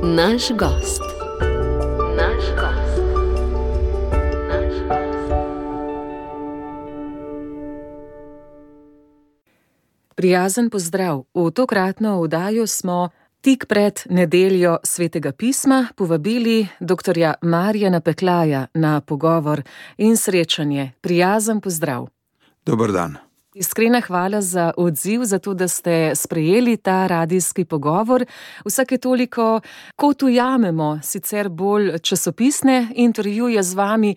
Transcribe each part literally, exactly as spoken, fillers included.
Naš gost. Naš gost. Naš gost. Prijazen pozdrav. V tokratno oddajo smo tik pred nedeljo Svetega pisma povabili doktorja Marjana Peklaja na pogovor in srečanje. Prijazen pozdrav. Dober dan. Iskrena hvala za odziv, za to, da ste sprejeli ta radijski pogovor. Vsake toliko, kot ujamemo sicer bolj časopisne intervjuje z vami,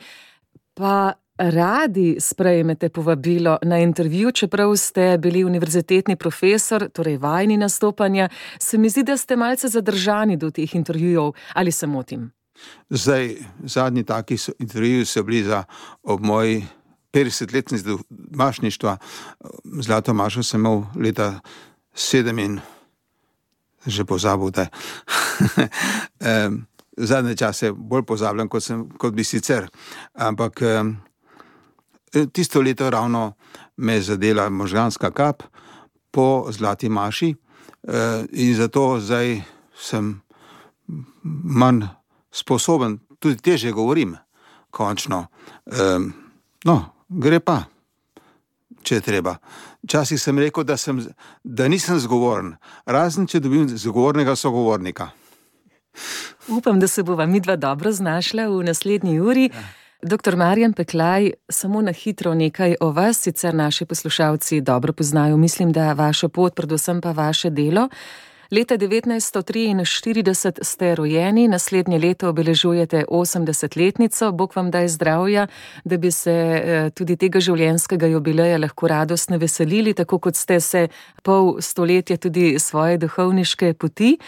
pa radi sprejmete povabilo na intervju, čeprav ste bili univerzitetni profesor, torej vajeni nastopanja, se mi zdi, da ste malce zadržani do teh intervjujev, ali se motim? Zdaj, zadnji taki intervjuji so bili za ob moji petdesetletnici domašništva. Zlato mašo sem imel leta sedem in že pozabil, da zadnje čase bolj pozabljam, kot, sem, kot bi sicer. Ampak tisto leto ravno me je zadela možganska kap po zlati maši in zato zdaj sem manj sposoben, tudi težje govorim, končno. No, gre pa, če je treba. Včasih sem rekel, da, sem, da nisem zgovoren, razen če dobim zgovornega sogovornika. Upam, da se bova midva dobro znašla v naslednji uri. Ja. Doktor Marjan Peklaj, samo na hitro nekaj o vas, sicer naši poslušalci dobro poznajo, mislim, da vašo pot, predvsem pa vaše delo. Leta devetnajststo triinštirideset ste rojeni, naslednje leto obeležujete osemdesetletnico, Bog vam daj zdravja, da bi se tudi tega življenjskega jubileja lahko radostno veselili, tako kot ste se pol stoletja tudi svoje duhovniške poti.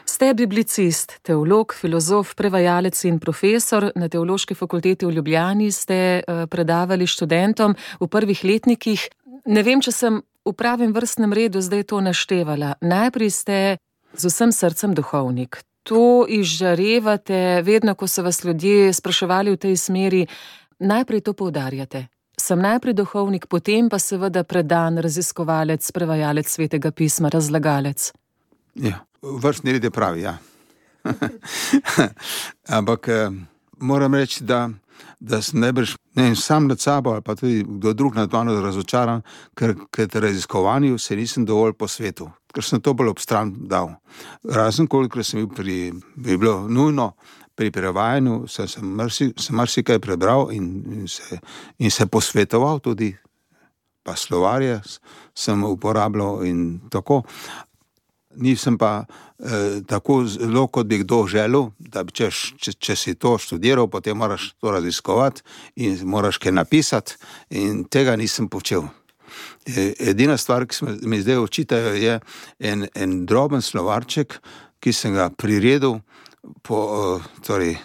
Ste biblicist, teolog, filozof, prevajalec in profesor. Na Teološki fakulteti v Ljubljani ste predavali študentom v prvih letnikih. Ne vem, če sem v pravem vrstnem redu zdaj to naštevala. Najprej ste z vsem srcem duhovnik. To izžarevate, vedno, ko so vas ljudje spraševali v tej smeri, najprej to poudarjate. Sem najprej duhovnik, potem pa seveda predan raziskovalec, prevajalec Svetega pisma, razlagalec. Ja, vrstni red je pravi, ja. Ampak moram reči, da da sem najbrž ne sam nad sabo ali pa tudi kdo drug nad mano razočaran, ker k raziskovanju se nisem dovolj posvetil, ker sem to bolj ob stran dal. Razen kolikor sem bil pri, bi bilo nujno pri prevajanju, sem, sem, marsi, sem marsikaj prebral in, in, se, in se posvetoval tudi, pa slovarje sem uporabljal in tako. Nisem pa eh, tako zelo, kot bi kdo želel, da bi, če, če, če si to študiral, potem moraš to raziskovati in moraš kaj napisati in tega nisem počel. Edina stvar, ki mi zdaj očitajo, je en, en droben slovarček, ki sem ga priredil po torej,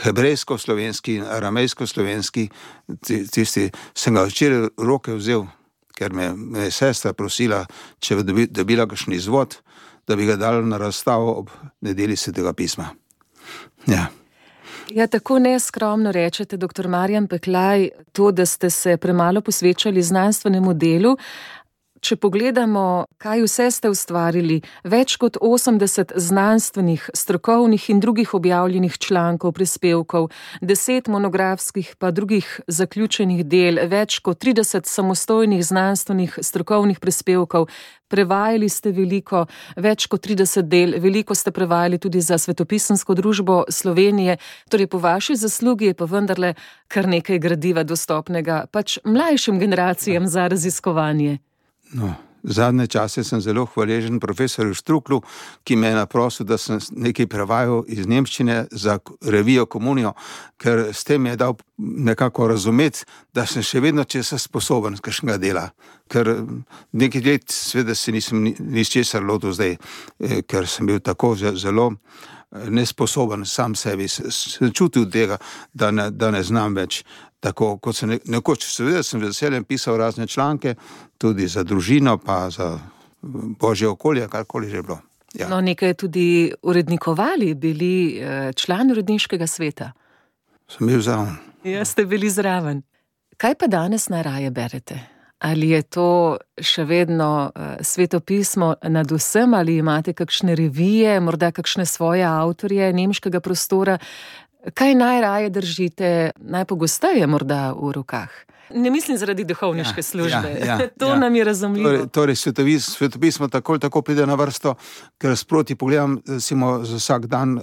hebrejsko-slovenski in aramejsko-slovenski, tisti sem ga včeraj v roke vzel, ker me, me je sestra prosila, če bi dobila kakšen izvod, da bi ga dala na razstavo ob nedelji Svetega pisma. Ja. Ja, tako neskromno rečete, doktor Marjan Peklaj, to, da ste se premalo posvečali znanstvenemu delu. Če pogledamo, kaj vse ste ustvarili, več kot osemdeset znanstvenih, strokovnih in drugih objavljenih člankov, prispevkov, deset monografskih pa drugih zaključenih del, več kot trideset samostojnih znanstvenih strokovnih prispevkov, prevajali ste veliko, več kot trideset del, veliko ste prevajali tudi za Svetopisemsko družbo Slovenije, torej po vaši zaslugi je pa vendarle kar nekaj gradiva dostopnega, pač mlajšim generacijam za raziskovanje. No, zadnje čase sem zelo hvaležen profesorju Štruklu, ki me je naprosil, da sem nekaj prevajal iz nemščine za revijo Komunijo, ker s tem je dal nekako razumeti, da sem še vedno česa sposoben kakšnega dela. Ker nekaj let sveda se nisem nič česar lotil zdaj, ker sem bil tako zelo nesposoben sam sebi. Sem čutil tega, da ne, da ne znam več. Tako kot sem nekoč, seveda sem veseljem pisal razne članke, tudi za družino, pa za božje okolje, karkoli že bilo. Ja. No, nekaj tudi urednikovali, bili član uredniškega sveta. Sem bil zraven. Ja, ste bili zraven. Kaj pa danes najraje berete? Ali je to še vedno uh, svetopismo nad vsem, ali imate kakšne revije, morda kakšne svoje avtorje nemškega prostora? Kaj najraje držite, najpogosteje morda v rokah? Ne mislim zaradi duhovniške ja, službe, ja, ja, to ja. nam je razumljivo. Torej, torej svetovis, svetopismo tako ali tako pride na vrsto, ker sproti pogledam, recimo, za vsak dan,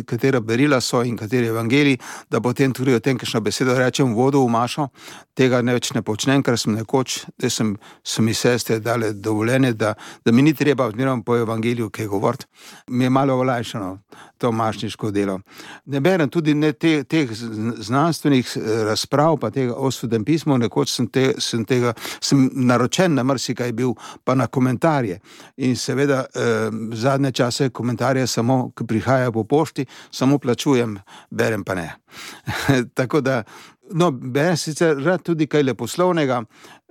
katera berila so in kateri evangeliji, da potem tudi o tem, kakšno besedo rečem, vodo v mašo, tega ne več ne počnem, ker sem nekoč, da sem, so mi sestre dale dovoljenje, da, da mi ni treba odmirom po evangeliju kaj govoriti. Mi je malo olajšano to mašniško delo. Ne berem tudi ne te, teh znanstvenih razprav, pa tega o svetopismu, nekoč sem, te, sem tega, sem naročen na marsikaj bil, pa na komentarje. In seveda eh, zadnje čase komentarje samo, ki prihajajo po pošti, samo plačujem, berem pa ne. Tako da, no, berem sicer rad tudi kaj leposlovnega,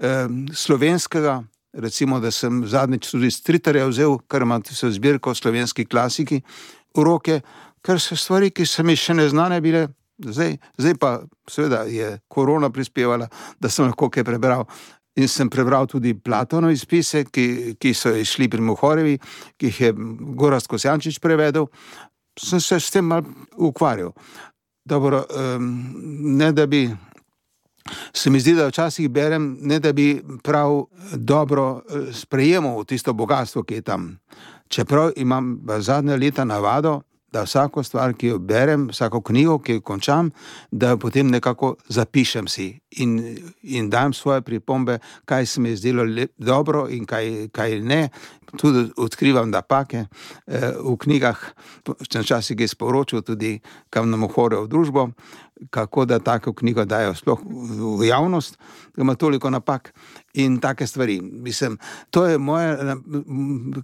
eh, slovenskega, recimo, da sem zadnjič tudi Stritarja vzel, kar ima so zbirko slovenski klasiki v roke, kar so stvari, ki so mi še neznane bile. Zdaj, zdaj pa seveda je korona prispevala, da sem lahko kaj prebral. In sem prebral tudi Platonove spise, ki, ki so išli pri Mohorevi, ki jih je Gorazd Kosjančič prevedel. Sem se s tem malo ukvarjal. Dobro, um, ne da bi, se mi zdi, da včasih berem, ne da bi prav dobro sprejemal tisto bogatstvo, ki je tam. Čeprav imam v zadnja leta navado, da vsako stvar, ki jo berem, vsako knjigo, ki jo končam, da jo potem nekako zapišem si in, in dam svoje pripombe, kaj se mi je zdelo lep, dobro in kaj, kaj ne. Tudi odkrivam napake eh, v knjigah, včasih je sporočil tudi, kam nam ohore v družbo, kako da tako knjigo dajo sploh v javnost, ima toliko napak in take stvari. Mislim, to je moja,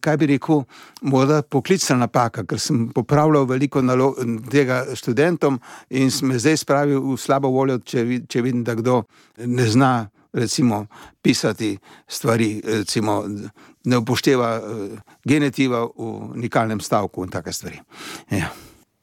kaj bi rekel, morda poklicna napaka, ker sem popravljal veliko nalog, tega študentom in sem me zdaj spravil v slabo voljo, če, če vidim, da kdo ne zna, recimo, pisati stvari, recimo, ne upošteva genitiva v nikalnem stavku in take stvari. Ja.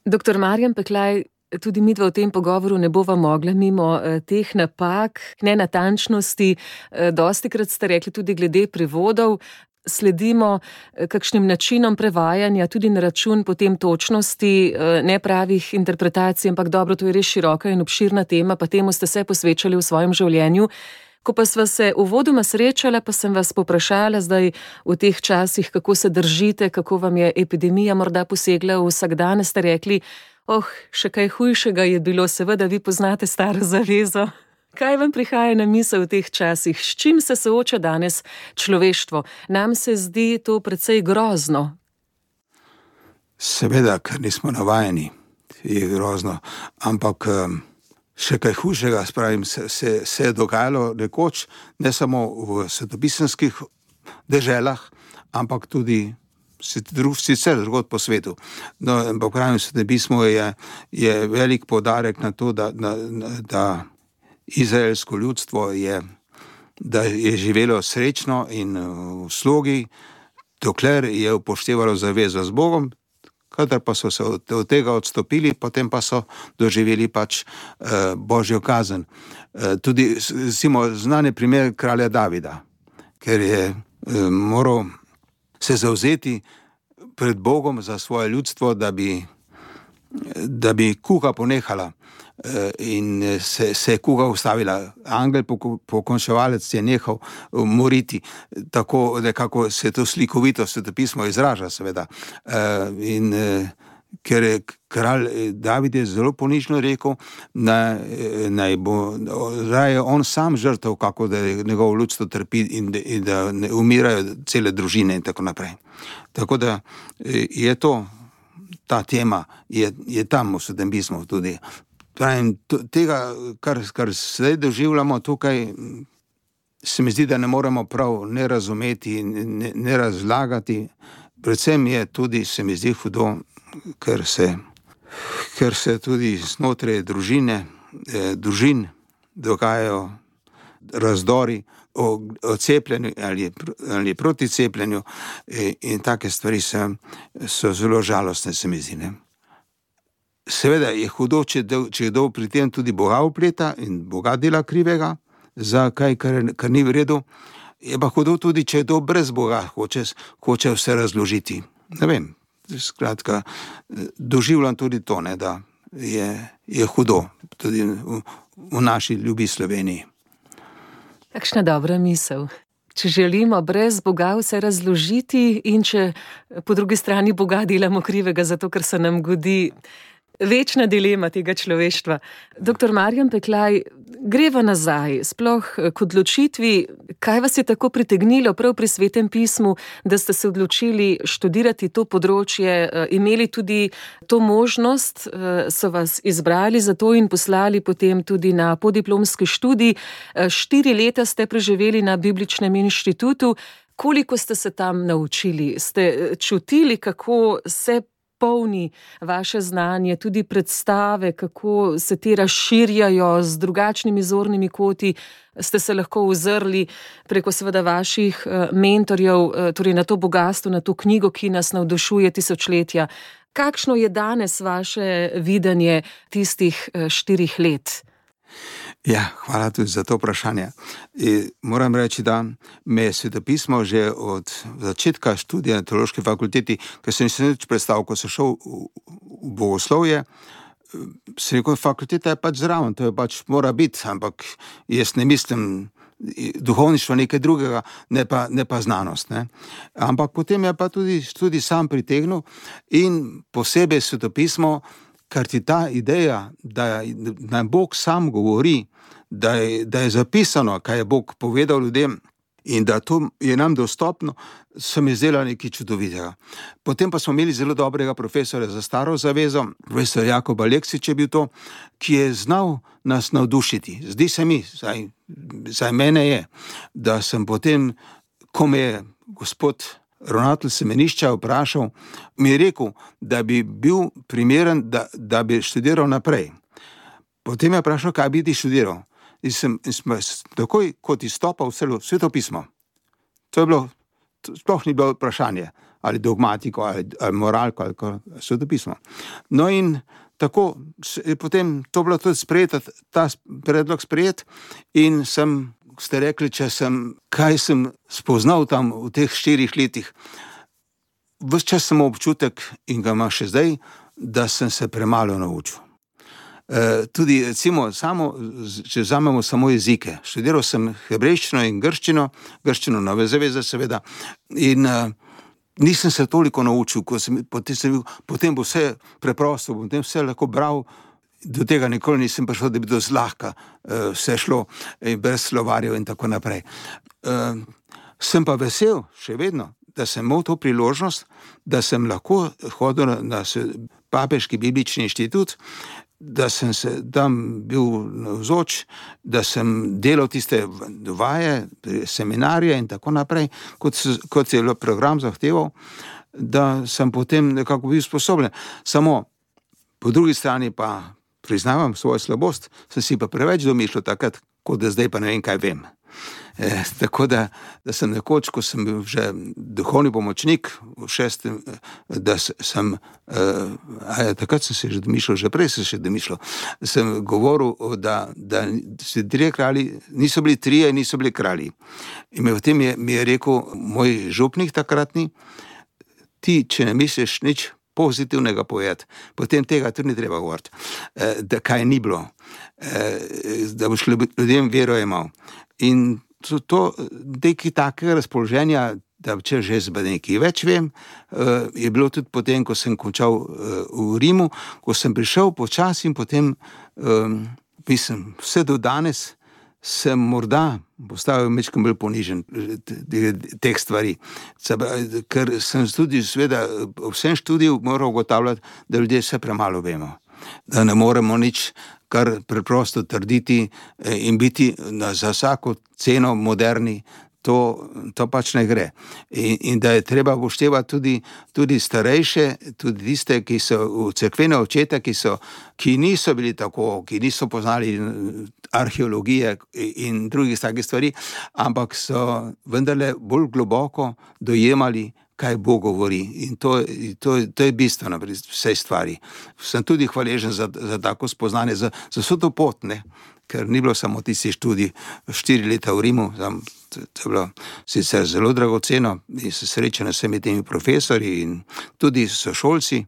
Doktor Marjan Peklaj, tudi midva v tem pogovoru ne bova mogla mimo eh, teh napak, nenatančnosti. Eh, dostikrat ste rekli tudi glede prevodov, sledimo eh, kakšnim načinom prevajanja, tudi na račun potem točnosti, eh, nepravih interpretacij, ampak dobro, to je res široka in obširna tema, pa temu ste se posvečali v svojem življenju. Ko pa sva se uvodoma srečala, pa sem vas poprašala zdaj v teh časih, kako se držite, kako vam je epidemija morda posegla v vsakdan, ste rekli, oh, še kaj hujšega je bilo, seveda vi poznate staro zavezo. Kaj vam prihaja na misel v teh časih? S čim se sooča danes človeštvo? Nam se zdi to precej grozno. Seveda, ker nismo navajeni, je grozno, ampak še kaj hujšega, spravim, se, se, se je dogajalo nekoč, ne samo v svetopisemskih deželah, ampak tudi sicer drugod po svetu. No, ampak pravim, svetopismo je, je velik poudarek na to, da, da, da izraelsko ljudstvo je, da je živelo srečno in v slogi, dokler je upoštevalo zavezo z Bogom, kadar pa so se od tega odstopili, potem pa so doživeli pač eh, Božjo kazen. Eh, tudi, recimo, znani primer kralja Davida, ker je eh, moral se zavzeti pred Bogom za svoje ljudstvo, da bi, da bi kuga ponehala eh, in se, se je kuga ustavila. Angel pokončevalec je nehal moriti, tako nekako se to slikovito svetopismo izraža, seveda. Eh, in eh, ker je kralj David je zelo ponižno rekel, naj, naj bo raje on sam žrtev, kako da njegovo ljudstvo trpi in, in da ne umirajo cele družine in tako naprej. Tako da je to, ta tema je, je tam v svetopismu tudi. Pravim, tega, kar, kar zdaj doživljamo tukaj, se mi zdi, da ne moremo prav ne razumeti, ne, ne razlagati. Predvsem je tudi, se mi zdi hudo, ker se, ker se tudi znotraj družine, eh, družin dogajajo razdori o, o cepljenju ali, ali proti cepljenju eh, in take stvari se, so zelo žalostne, se mi zdi, ne. Seveda je hudo, če, če kdo pri tem tudi Boga vpleta in Boga dela krivega, za kaj, kar, kar ni v redu. Je pa hudo tudi, če je to brez Boga, hoče, hoče vse razložiti. Ne vem, skratka, doživljam tudi to, ne, da je, je hudo tudi v, v naši ljubi Sloveniji. Kakšna dobra misel. Če želimo brez Boga vse razložiti in če po drugi strani Boga delamo krivega zato, ker se nam godi, večna dilema tega človeštva. Doktor Marjan Peklaj, greva nazaj, sploh k odločitvi, kaj vas je tako pritegnilo prav pri Svetem pismu, da ste se odločili študirati to področje, imeli tudi to možnost, so vas izbrali za to in poslali potem tudi na podiplomski študij. Štiri leta ste preživeli na Bibličnem inštitutu. Koliko ste se tam naučili? Ste čutili, kako se polni vaše znanje, tudi predstave, kako se te razširjajo z drugačnimi zornimi koti, ste se lahko ozrli preko seveda vaših mentorjev, torej na to bogastvo, na to knjigo, ki nas navdušuje tisočletja. Kakšno je danes vaše videnje tistih štirih let? Ja, hvala tudi za to vprašanje. In moram reči, da me je svetopismo že od začetka študija na teološki fakulteti, ker sem se nič predstavil, ko sem šel v, v bogoslovje, sem rekel, fakulteta je pač zraven, to je pač mora biti, ampak jaz ne mislim duhovništvo nekaj drugega, ne pa, ne pa znanost. Ne. Ampak potem je pa tudi, tudi sam pritegnil in posebej svetopismo, ker ti ta ideja, da nam Bog sam govori, da je, da je zapisano, kaj je Bog povedal ljudem in da to je nam dostopno, so mi zdela nekaj čudovitega. Potem pa smo imeli zelo dobrega profesora za staro zavezo, profesor Jakob Aleksič je bil to, ki je znal nas navdušiti. Zdi se mi, zdaj, zdaj mene je, da sem potem, ko me je gospod ravnatelj semenišča vprašal, mi je rekel, da bi bil primeren, da, da bi študiral naprej. Potem je vprašal, kaj bi ti študiral. In sem, in sem takoj, kot izstopal v svetopismo. To je bilo, to sploh ni bilo vprašanje, ali dogmatiko, ali, ali moralko, ali svetopismo. No in tako je potem to bilo tudi sprejet, ta predlog sprejet in sem, ste rekli, če sem, kaj sem spoznal tam v teh štirih letih. Ves čas sem občutek, in ga imam še zdaj, da sem se premalo naučil. E, tudi, recimo, samo, če vzamemo samo jezike. Študiral sem hebrejščino in grščino, grščino Nove zaveze, seveda, in e, nisem se toliko naučil, ko sem, potem, sem, potem bo vse preprosto, potem vse lahko bral. Do tega nikoli nisem prišel, da bi to zlahka uh, vse šlo in brez slovarjev in tako naprej. Uh, sem pa vesel, še vedno, da sem imel to priložnost, da sem lahko hodil na, na Papeški biblični inštitut, da sem se tam bil navzoč, da sem delal tiste vaje, seminarije in tako naprej, kot, kot je program zahteval, da sem potem nekako bil sposoben. Samo po drugi strani pa priznavam svojo slabost, sem si pa preveč domišljal takrat, kot da zdaj pa ne vem, kaj vem. E, tako da, da sem nekoč, ko sem bil že duhovni pomočnik v šestem, da sem, e, takrat sem se že domišljal, že prej sem se domišljal, sem govoril, da, da se trije kralji, niso bili trije, niso bili kralji. In v tem je, mi je rekel moj župnik takratni, ti, če ne misliš nič pozitivnega povedati, potem tega tudi ni treba govoriti, da kaj ni bilo, da boš ljudem vero imel. In to, to nekaj takega razpoloženja, da če že z nekaj več vem, je bilo tudi potem, ko sem končal v Rimu, ko sem prišel počasi in potem, mislim, vse do danes, sem morda postavil mečkam bolj ponižen teh stvari. Ker sem tudi, seveda, vsem študiju moral ugotavljati, da ljudje vse premalo vemo. Da ne moremo nič kar preprosto trditi in biti za vsako ceno moderni. To, to pač ne gre. In, in da je treba upoštevati tudi, tudi starejše, tudi tiste, ki so v cerkvene očete, ki, so, ki niso bili tako, ki niso poznali arheologije in drugih takih stvari, ampak so vendarle bolj globoko dojemali, kaj Bog govori. In to, to, to je bistveno pri vsej stvari. Sem tudi hvaležen za, za tako spoznanje, za, za vso to pot, ne, ker ni bilo samo tisti študij štiri leta v Rimu, tam, to, to je bilo sicer zelo dragoceno in se srečano s vsemi temi profesori in tudi sošolci,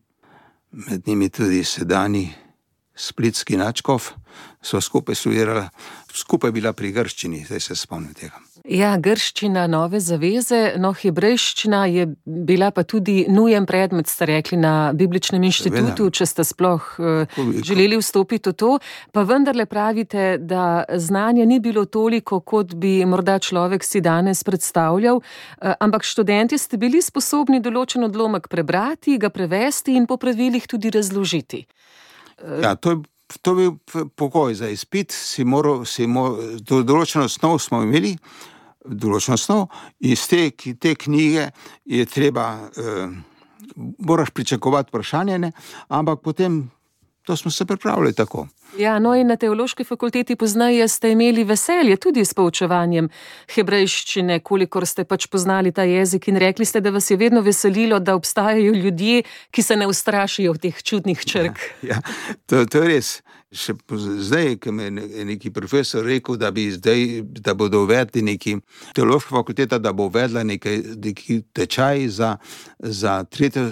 med njimi tudi sedanji splitski nadškof, so skupaj študirali, skupaj bila pri grščini, zdaj se spomnim tega. Ja, grščina, nove zaveze, no hebrejščina je bila pa tudi nujen predmet, ste rekli, na Bibličnem inštitutu, če ste sploh uh, želeli vstopiti v to, pa vendarle pravite, da znanja ni bilo toliko, kot bi morda človek si danes predstavljal, uh, ampak študenti ste bili sposobni določen odlomek prebrati, ga prevesti in po pravilih tudi razložiti. Uh, ja, to je To je bil pogoj za izpit, si moral, si moral, do določeno osnov smo imeli, določeno osnov, iz te, te knjige je treba, eh, moraš pričakovati vprašanje, ne? Ampak potem to smo se pripravili tako. Ja, no in na teološki fakulteti poznaje ste imeli veselje tudi s poučevanjem hebrejščine, kolikor ste pač poznali ta jezik in rekli ste, da vas je vedno veselilo, da obstajajo ljudje, ki se ne ustrašijo teh čudnih črk. Ja, ja to, to je res. Še zdaj, ko mi je neki profesor rekel, da bi zdaj, da bodo uvedli neki teološka fakulteta, da bo uvedla nekaj, neki tečaj za, za tretje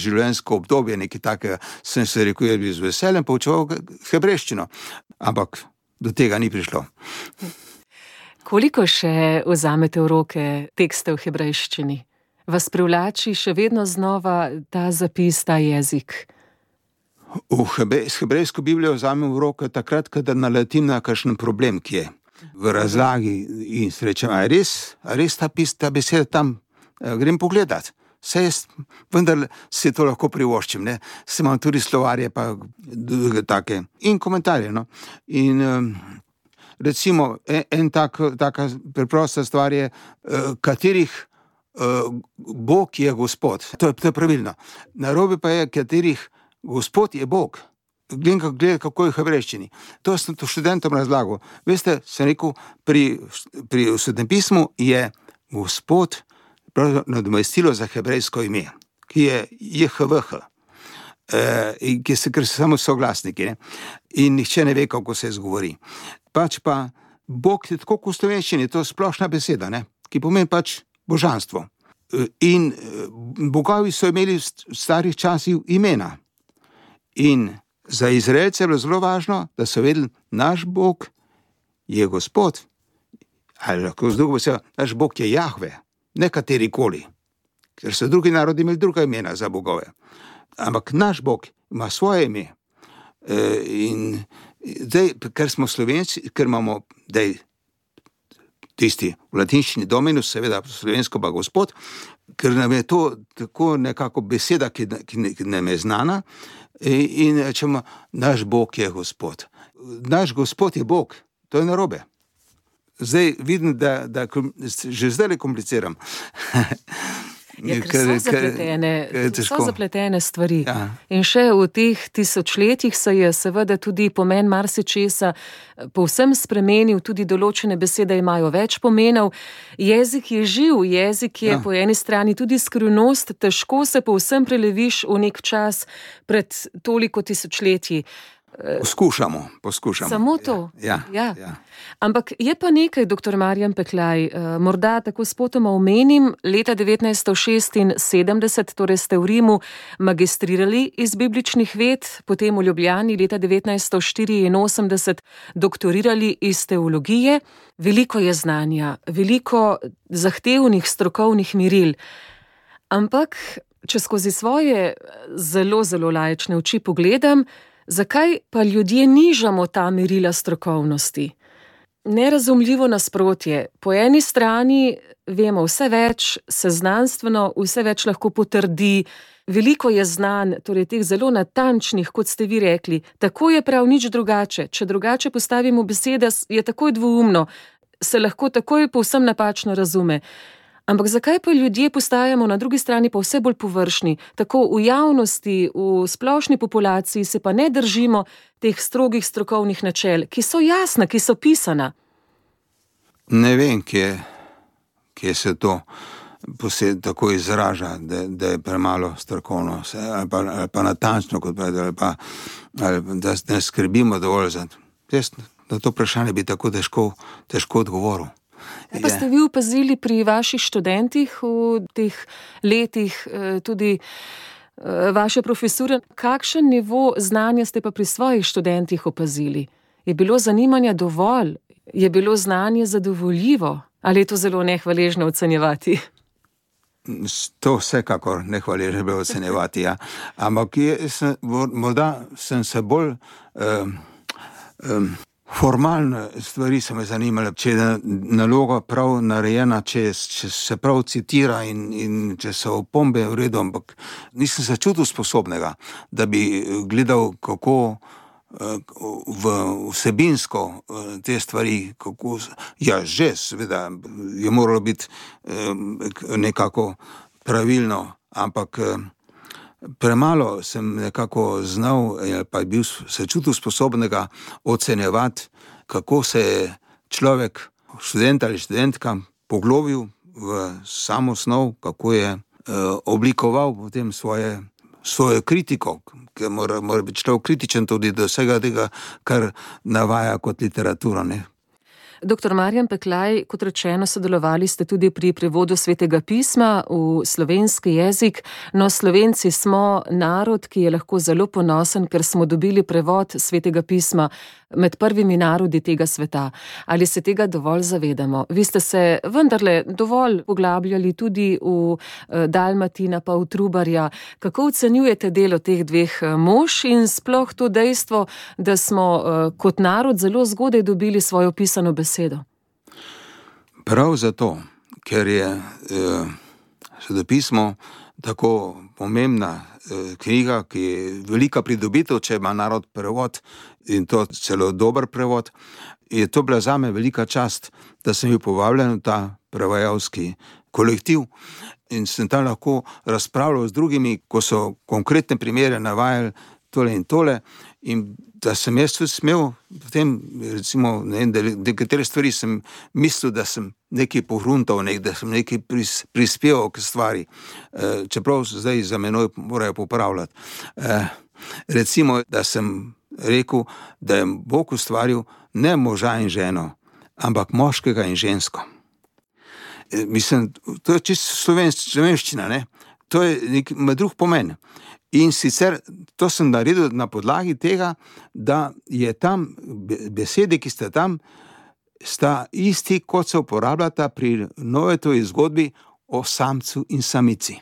življenjsko obdobje, nekaj takega, sem se rekel, da bi z veseljem poučeval hebrejščino, ampak do tega ni prišlo. Koliko še vzamete v roke tekste v hebrejščini? Vas privlači še vedno znova ta zapis, ta jezik? V hebe, hebrejsko Biblijo vzamem v roke takrat, kada naletim na kakšen problem, ki je v razlagi in srečem, a je res, a res ta pis, ta beseda tam, grem pogledat. Vse jaz, vendar se to lahko privoščim, ne. Se imam tudi slovarje, pa take in komentarje, no. In recimo, en, en tak, taka preprosta stvar je, katerih Bog je Gospod. To je, to je pravilno. Narobe pa je, katerih Gospod je Bog. Gledam, gled, kako je v hebrejščini. To sem to študentom razlagal. Veste, sem rekel, pri, pri Svetem pismu je Gospod nadomestilo za hebrejsko ime, ki je J H V H, e, ki se, ker so samo soglasniki, ne? In nihče ne ve, kako se izgovori. Pač pa Bog je tako v slovenščini, to je splošna beseda, ne? Ki pomeni pač božanstvo. In bogovi so imeli v starih časih imena. In za Izraelce je bilo zelo važno, da so vedeli, naš Bog je Gospod, ali lahko z drugo besedo, naš Bog je Jahve, ne katerikoli, ker so drugi narodi imeli druga imena za bogove. Ampak naš Bog ima svoje ime. E, in zdaj, ker smo Slovenci, ker imamo dej, tisti v latinščini Dominus, seveda slovensko pa Gospod, ker nam je to tako nekako beseda, ki, ki, ki nam je znana, in rečemo, naš Bog je Gospod. Naš Gospod je Bog, to je narobe. Zdaj vidim, da, da že zdaj le kompliciram. Ja, ker so zapletene, so zapletene stvari. Ja. In še v teh tisočletjih se je seveda tudi pomen marsičesa povsem spremenil, tudi določene besede imajo več pomenov. Jezik je živ, jezik je ja. Po eni strani tudi skrivnost, težko se povsem preleviš v nek čas pred toliko tisočletji. Poskušamo, poskušamo. Samo to? Ja, ja, ja. ja. Ampak je pa nekaj, doktor Marjan Peklaj, morda tako spotoma omenim, leta devetnajststo šestinsedemdeset, torej ste v Rimu magistrirali iz bibličnih ved, potem v Ljubljani leta devetnajststo štiriinosemdeset doktorirali iz teologije. Veliko je znanja, veliko zahtevnih strokovnih miril. Ampak, če skozi svoje zelo, zelo laične oči pogledam, zakaj pa ljudje nižamo ta merila strokovnosti? Nerazumljivo nasprotje. Po eni strani vemo vse več, se znanstveno vse več lahko potrdi, veliko je znanj, torej teh zelo natančnih, kot ste vi rekli, tako je prav nič drugače. Če drugače postavimo besede, je takoj dvoumno, se lahko takoj povsem napačno razume. Ampak zakaj pa ljudje postajamo na drugi strani pa vse bolj površni? Tako v javnosti, v splošni populaciji se pa ne držimo teh strogih strokovnih načel, ki so jasna, ki so pisana. Ne vem, kje, kje se to posebej tako izraža, da, da je premalo strokovno, ali pa, ali pa natančno, kot pravi, ali pa ali da ne skrbimo dovolj za to. Jaz na to vprašanje bi tako težko, težko odgovoril. Pa ste vi opazili pri vaših študentih v teh letih tudi vaše profesure, kakšen nivo znanja ste pa pri svojih študentih opazili? Je bilo zanimanja dovolj? Je bilo znanje zadovoljivo? Ali je to zelo nehvaležno ocenjevati? To vsekakor nehvaležno bilo ocenjevati, ja. Ampak je, sem, morda sem se bolj um, um, formalne stvari so me zanimale, če je naloga prav narejena, če, če se prav citira in, in če so opombe v redu, ampak nisem se čutil sposobnega, da bi gledal, kako v vsebinsko te stvari, kako, ja, že, seveda, je moralo biti nekako pravilno, ampak premalo sem nekako znal, pa je bil se čutil sposobnega ocenjevati, kako se je človek, študent ali študentka, poglobil v samo snov, kako je oblikoval potem svoje svojo kritiko, ker mora, mora biti človek kritičen tudi do vsega tega, kar navaja kot literatura, ne. Doktor Marjan Peklaj, kot rečeno, sodelovali ste tudi pri prevodu Svetega pisma v slovenski jezik, no Slovenci smo narod, ki je lahko zelo ponosen, ker smo dobili prevod Svetega pisma med prvimi narodi tega sveta. Ali se tega dovolj zavedamo? Vi ste se vendarle dovolj poglabljali tudi v Dalmatina pa v Trubarja. Kako ocenjujete delo teh dveh mož in sploh to dejstvo, da smo kot narod zelo zgodaj dobili svojo pisano besedo? Prav zato, ker je eh, Svetopismo tako pomembna eh, knjiga, ki je velika pridobitev, če ima narod prevod in to celo dober prevod, je to bila zame velika čast, da sem bil povabljen v ta prevajalski kolektiv in sem tam lahko razpravljal z drugimi, ko so konkretne primere navajali tole in tole, in da sem jaz tudi smel potem, recimo, ne vem, da nekatere stvari sem mislil, da sem nekaj pohruntal, nek, da sem nekaj pris, prispeval k stvari, e, čeprav zdaj za menoj morajo popravljati. E, recimo, da sem rekel, da je Bog ustvaril ne moža in ženo, ampak moškega in žensko. E, mislim, to je čisto slovenščina, ne? To je nek drug pomen. In sicer to sem naredil na podlagi tega, da je tam besede, ki sta tam, sta isti, kot se uporabljata pri Novetovi zgodbi o samcu in samici.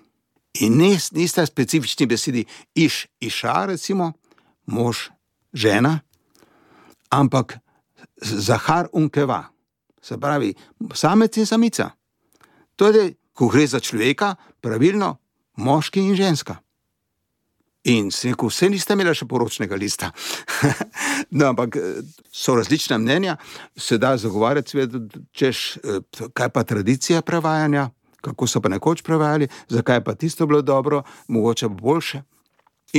In nista specifični besedi iš, iša, recimo, mož, žena, ampak zahar in keva. Se pravi, samec in samica. To je, ko gre za človeka, pravilno moški in ženska. In sem rekel, vse niste imeli še poročnega lista. No, ampak so različna mnenja, se da zagovarjati svet, češ, kaj pa tradicija prevajanja, kako so pa nekoč prevajali, zakaj pa tisto bilo dobro, mogoče pa boljše.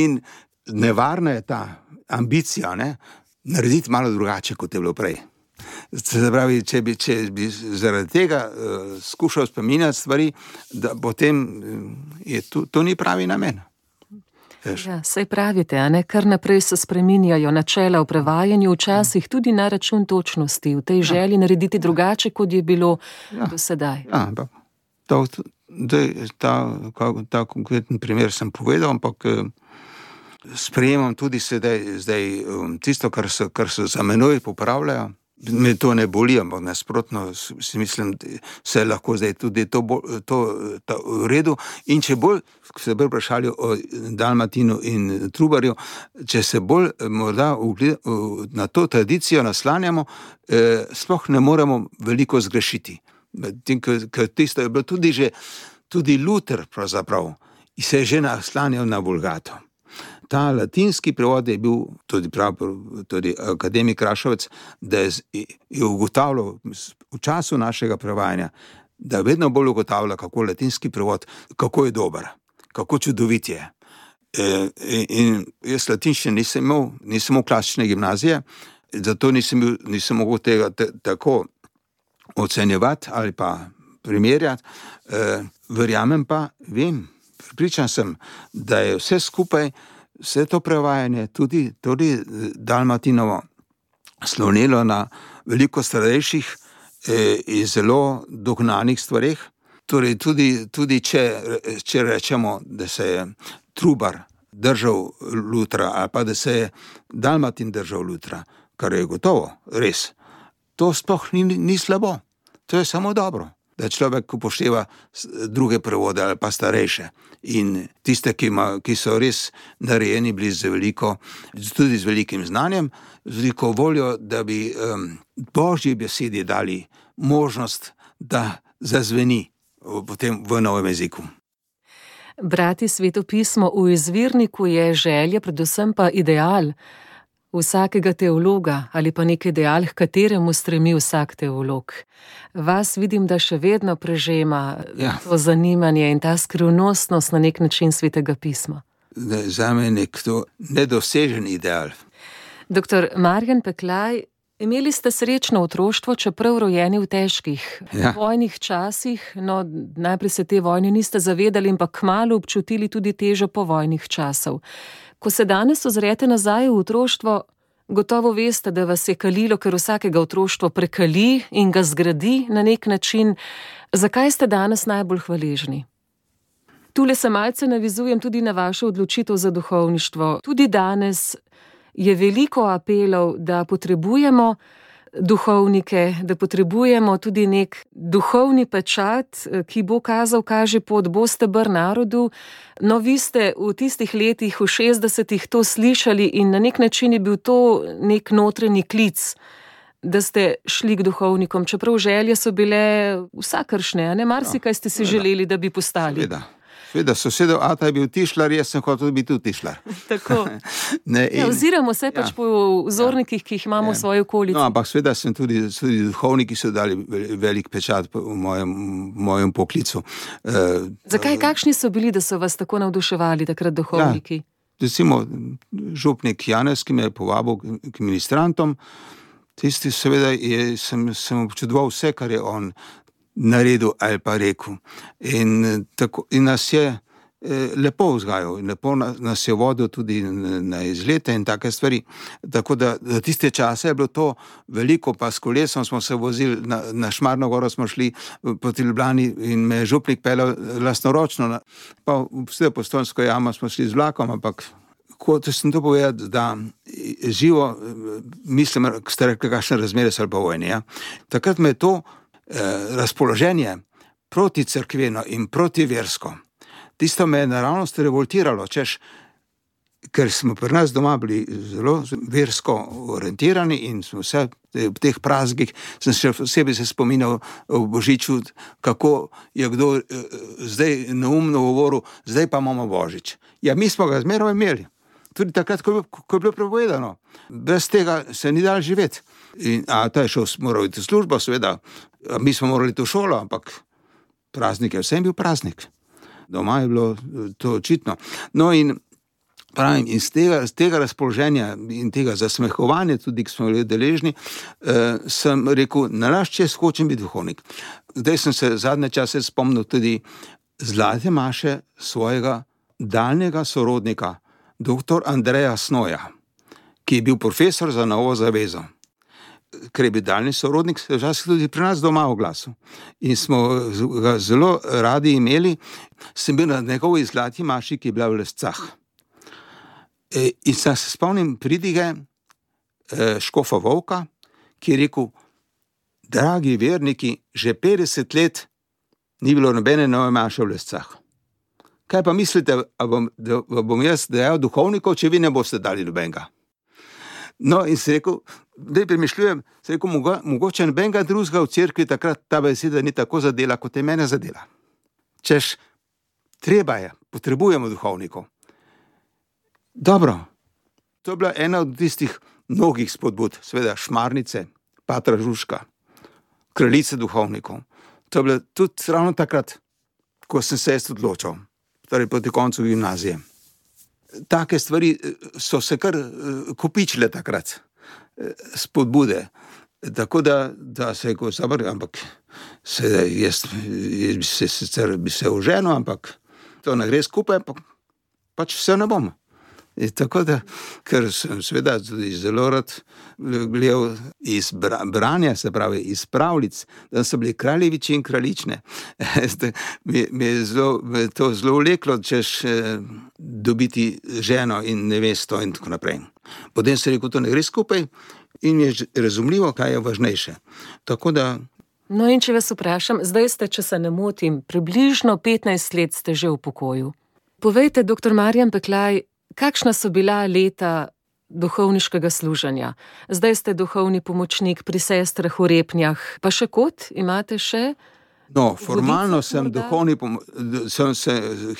In nevarna je ta ambicija, ne, narediti malo drugače, kot je bilo prej. Se pravi, če bi, če bi zaradi tega uh, skušal spominjati stvari, da potem je to, to ni pravi namen. Ja, saj pravite, a ne, kar naprej se spreminjajo načela v prevajanju, včasih tudi na račun točnosti, v tej želji narediti drugače, kot je bilo ja. do sedaj. Ja, ampak ta, ta, ta konkreten primer sem povedal, ampak sprejemam tudi sedaj, zdaj tisto, kar so, kar so za menoj popravljajo. Me to ne boli, ampak nasprotno si mislim, se lahko zdaj tudi to, to, to v redu. In če bolj se bolj vprašali o Dalmatinu in Trubarju, če se bolj morda na to tradicijo naslanjamo, eh, sploh ne moremo veliko zgrešiti. Ker tisto je bilo tudi že, tudi Luther pravzaprav, se je že naslanjal na Vulgato. Ta latinski prevod je bil, tudi, prav, tudi akademik Rašovec, da je, je ugotavljal v času našega prevajanja, da vedno bolj ugotavlja, kako latinski prevod, kako je dober, kako čudovit je. E, in jaz latinščine nisem imel, nisem imel klasične gimnazije, zato nisem, bil, nisem mogel tega te, tako ocenjevati ali pa primerjati. E, verjamem pa, vem, pripričan sem, da je vse skupaj, vse to prevajanje, tudi, tudi Dalmatinovo, slonilo na veliko starejših eh, in zelo dognanih stvareh. Torej, tudi, tudi če, če rečemo, da se je Trubar držal Lutra, ali pa da se je Dalmatin držal Lutra, kar je gotovo res, to sploh ni, ni slabo. To je samo dobro, da človek upošteva druge prevode ali pa starejše. In tiste, ki, ima, ki so res narejeni bili z veliko, tudi z velikim znanjem, z veliko voljo, da bi um, Božji besedi dali možnost, da zazveni potem v novem jeziku. Brati Sveto pismo v izvirniku je želja, predvsem pa ideal vsakega teologa ali pa nek ideal, k kateremu stremi vsak teolog. Vas vidim, da še vedno prežema ja. to zanimanje in ta skrivnostnost na nek način Svetega pisma. Zame je nek to nedosežen ideal. Doktor Marjan Peklaj, imeli ste srečno otroštvo, čeprav rojeni v težkih ja. vojnih časih, no najprej se te vojne niste zavedali, ampak kmalu občutili tudi težo povojnih časov. Ko se danes ozrete nazaj v otroštvo, gotovo veste, da vas je kalilo, ker vsakega otroštvo prekali in ga zgradi na nek način. Zakaj ste danes najbolj hvaležni? Tule se malce navizujem tudi na vašo odločitev za duhovništvo. Tudi danes je veliko apelov, da potrebujemo duhovnike, da potrebujemo tudi nek duhovni pečat, ki bo kazal, kaže pot, bo steber narodu. No, vi ste v tistih letih, v šestdesetih to slišali in na nek način je bil to nek notranji klic, da ste šli k duhovnikom, čeprav želje so bile vsakršne, a ne? Marsikaj ste si želeli, da bi postali. Sveda. Sveda, sosedov Ata je bil tišlar, jaz sem hotel biti tudi tišlar. Tako. Ne, in, ja, oziramo se pač ja, po vzornikih, ki jih imamo ja. v svoji okolici. No, ampak sveda sem tudi, tudi duhovniki so dali velik pečat v mojem, mojem poklicu. Uh, Zakaj, kakšni so bili, da so vas tako navduševali takrat duhovniki? Ja, recimo, župnik Janez, ki me je povabil k ministrantom, tisti seveda je, sem, sem občudoval vse, kar je on naredil ali pa rekel. In, tako, in nas je eh, lepo vzgajal, lepo nas je vodil tudi na, na izlete in take stvari. Tako da, da tiste čase je bilo to veliko, pa s kolesom smo se vozili, na, na Šmarno goro smo šli proti Ljubljani in me je župnik peljal lastnoročno, pa vse Postojnsko jamo smo šli z vlakom, ampak ko sem to povedal, da živo, mislim, ste rekli, kakšne razmere so ali pa vojne, ja? Takrat me je to razpoloženje proti cerkveno in proti versko. Tisto me je naravnost revoltiralo, češ, ker smo pri nas doma bili zelo versko orientirani in smo vse v teh praznikih, sem še posebej se spominjal v Božiču, kako je kdo eh, zdaj neumno govoril, zdaj pa imamo Božič. Ja, mi smo ga zmeraj imeli. Tudi takrat, ko je, ko je bilo prepovedano. Brez tega se ni dalo živeti. In, a ta je šel, moral iti v službo, seveda, mi smo morali iti v šolo, ampak praznik je vsem bil praznik. Doma je bilo to očitno. No in pravim, iz tega, iz tega razpoloženja in tega zasmehovanja, tudi ki smo bili deležni, eh, sem rekel, nalašč čez hočem biti duhovnik. Zdaj sem se zadnje čase spomnil tudi zlate maše svojega daljnega sorodnika, doktor Andreja Snoja, ki je bil profesor za Novo zavezo. Ker je bil daljni sorodnik, se je včasih tudi pri nas doma oglasil. In smo ga zelo radi imeli. Sem bil na njegovi zlati maši, ki je bila v Lescah. E, in se spomnim pridige e, škofa Volka, ki je rekel, dragi verniki, že petdeset let ni bilo nobene nove maše v Lescah. Kaj pa mislite, da bom, da bom jaz dejal duhovnikov, če vi ne boste dali nobenega? No, in se rekel, da premišljujem, se rekel, mogo, mogoče nobenega drugega v cerkvi takrat ta beseda ni tako zadela, kot je mene zadela. Češ, treba je, potrebujemo duhovnikov. Dobro, to je bila ena od tistih mnogih spodbud, seveda Šmarnice, Patra Žužka, kraljice duhovnikov. To je bilo tudi ravno takrat, ko sem se jaz odločil, torej proti koncu gimnazije. Take stvari so se kar kopičile takrat, spodbude. Tako da, da se je ko zabr, ampak se, jaz, jaz bi se sicer bi se oženil, ampak to ne gre skupaj, pa, pač vse ne bom. In tako da, ker sem seveda tudi zelo rad gledal iz branja, se pravi iz pravljic, da so bili kraljeviči in kraljične. mi, mi je zelo, me to zelo vleklo, češ eh, dobiti ženo in nevesto in tako naprej. Potem se rekel, to ne gre skupaj in mi je razumljivo, kaj je važnejše. Tako da. No in če vas vprašam, zdaj ste, če se ne motim, približno petnajst let ste že v pokoju. Povejte, doktor Marjan Peklaj, kakšna so bila leta duhovniškega služenja? Zdaj ste duhovni pomočnik pri sestrah v Repnjah, pa še kot imate še? No, formalno sem, duhovni, sem se,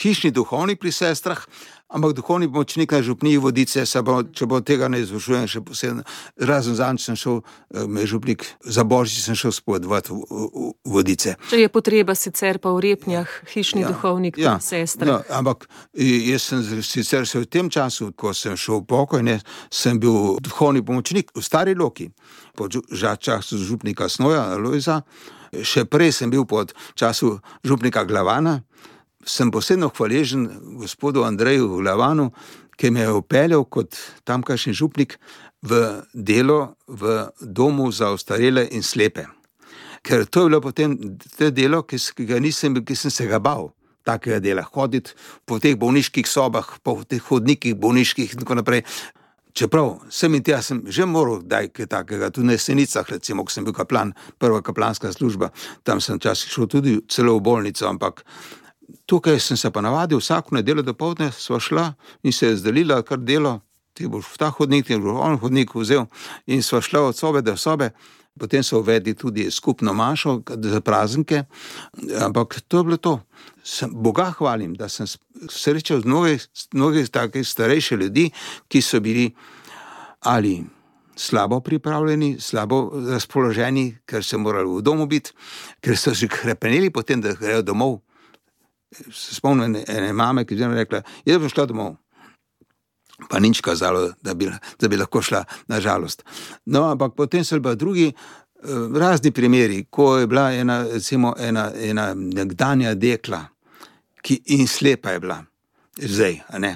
hišni duhovnik pri sestrah, ampak duhovni pomočnik na župniji Vodice, bo, če bo tega ne izvršujem še posebno. Razen zanj sem šel, me župnik za Božič sem šel spodvati v, v, v Vodice. Če je potreba sicer pa v Repnjah, hišni ja, ja, pri ja, sestrah. Ja, ampak jaz sem sicer se v tem času, ko sem šel v pokoj, ne, sem bil duhovni pomočnik v Stari Loki, pod času župnika Snoja, Lojza. Še prej sem bil pod času župnika Glavana, sem posebno hvaležen gospodu Andreju Glavanu, ki me je upeljal kot tamkajšnji župnik v delo v domu za ostarele in slepe. Ker to je bilo potem te delo, ki, ga nisem, ki sem se ga bal, takega dela, hoditi po teh bolniških sobah, po teh hodnikih bolniških in tako naprej. Čeprav sem in tja sem že moral daj kaj takega, tudi na Jesenicah, recimo, ko sem bil kaplan, prva kaplanska služba, tam sem včasih šel tudi celo v bolnico, ampak tukaj sem se pa navadil, vsako nedeljo dopoldne sva šla in se je zdelila kar delo, ti boš v ta hodnik, ti boš v on hodnik vzel in sva šla od sobe do sobe, potem so uvedli tudi skupno mašo za praznike, ampak to je bilo to. Sem, Boga hvalim, da sem srečal mnogih, mnogih takih starejših ljudi, ki so bili ali slabo pripravljeni, slabo razpoloženi, ker so morali v domu biti, ker so že krepenili potem, da grejo domov. Se spomnim ene mame, ki je rekla, jaz bom šla domov. Pa nič kazalo, da bi, da bi lahko šla, na žalost. No, ampak potem so bili drugi razni primeri, ko je bila ena, recimo, ena, ena nekdanja dekla, ki in slepa je bila, zdaj, a ne,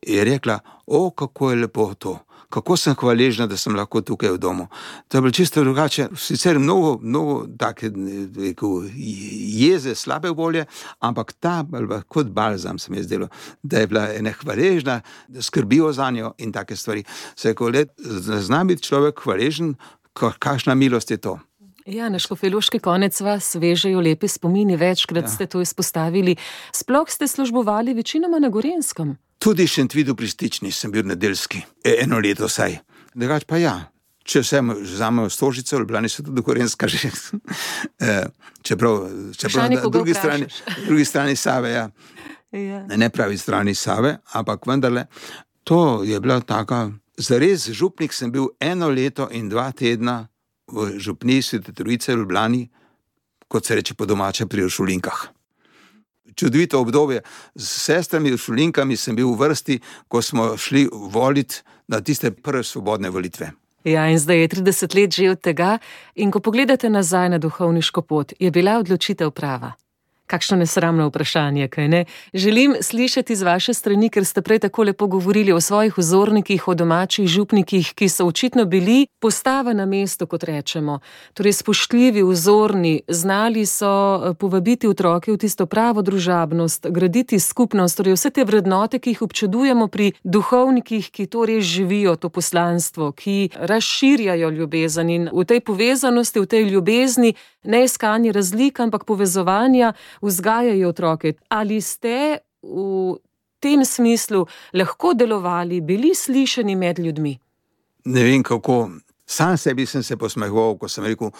je rekla, o, kako je lepo to, kako sem hvaležna, da sem lahko tukaj v domu. To je bilo čisto drugače, sicer mnogo, mnogo take, rekel, jeze, slabe volje, ampak ta, kot balzam se mi je zdelo, da je bila ena hvaležna, da skrbijo za njo in take stvari. Se je, ko let, zna biti človek hvaležen, kakšna milost je to. Ja, na škofjeloški konec vas vežejo lepi spomini, večkrat ja. Ste to izpostavili. Sploh ste službovali večinoma na Gorenjskem. Tudi Šentvidu pri Stični sem bil nedeljski, eno leto saj. Drugač pa ja, če vse vzamejo Stožice, Ljubljani so tudi Gorenjska že. čeprav čeprav na drugi strani, drugi strani Save, ja. ja. Ne pravi strani Save, ampak vendarle, to je bila taka, zares župnik sem bil eno leto in dva tedna v župniji Svete Trojice v Ljubljani, kot se reče po domače, pri uršulinkah. Čudovito obdobje. S sestrami uršulinkami sem bil v vrsti, ko smo šli voliti na tiste prve svobodne volitve. Ja, in zdaj je trideset let že od tega in ko pogledate nazaj na duhovniško pot, je bila odločitev prava? Kakšno nesramno vprašanje, kaj ne? Želim slišati z vaše strani, ker ste prej tako lepo govorili o svojih vzornikih, o domačih župnikih, ki so očitno bili postava na mesto, kot rečemo. Torej spoštljivi, vzorni, znali so povabiti otroke v tisto pravo družabnost, graditi skupnost, torej vse te vrednote, ki jih občudujemo pri duhovnikih, ki to res živijo, to poslanstvo, ki razširjajo ljubezen in v tej povezanosti, v tej ljubezni, ne iskanje razlik, ampak povezovanja, vzgajajo otroke. Ali ste v tem smislu lahko delovali, bili slišani med ljudmi? Ne vem kako. Sam sebi sem se posmehoval, ko sem rekel,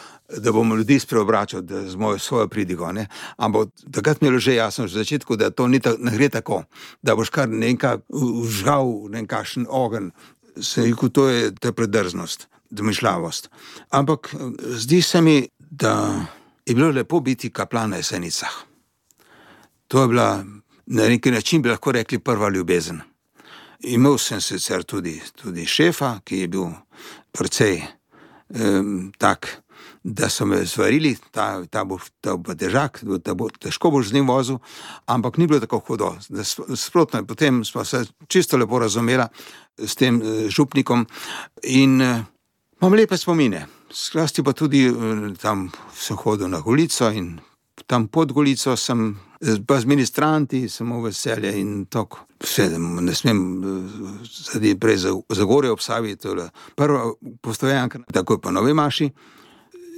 da bomo ljudi spreobračal z mojo svojo pridigo. Ne? Ampak takrat mi je bilo že jasno v začetku, da to ni ta, ne gre tako, da boš kar nekaj vžgal, nekakšen ogenj. Se rekel, to je, to je predrznost, domišljavost. Ampak zdi se mi, da je bilo lepo biti kaplan na Jesenicah. To je bila, na neki način bi lahko rekli, prva ljubezen. Imel sem sicer tudi, tudi šefa, ki je bil precej um, tak, da so me zvarili, ta, ta, bo, ta bo težak, da bo težko boš z njim vozil, ampak ni bilo tako hudo. Sprotno, potem smo se čisto lepo razumela s tem župnikom in imam lepe spomine. Sklasti pa tudi tam sem hodil na Golico in tam pod Golico sem pa z ministranti, samo veselje in tako. Vse, ne smem zadeti prej za, za gore ob Savi, to je prva postojanka, takoj po Novi Maši.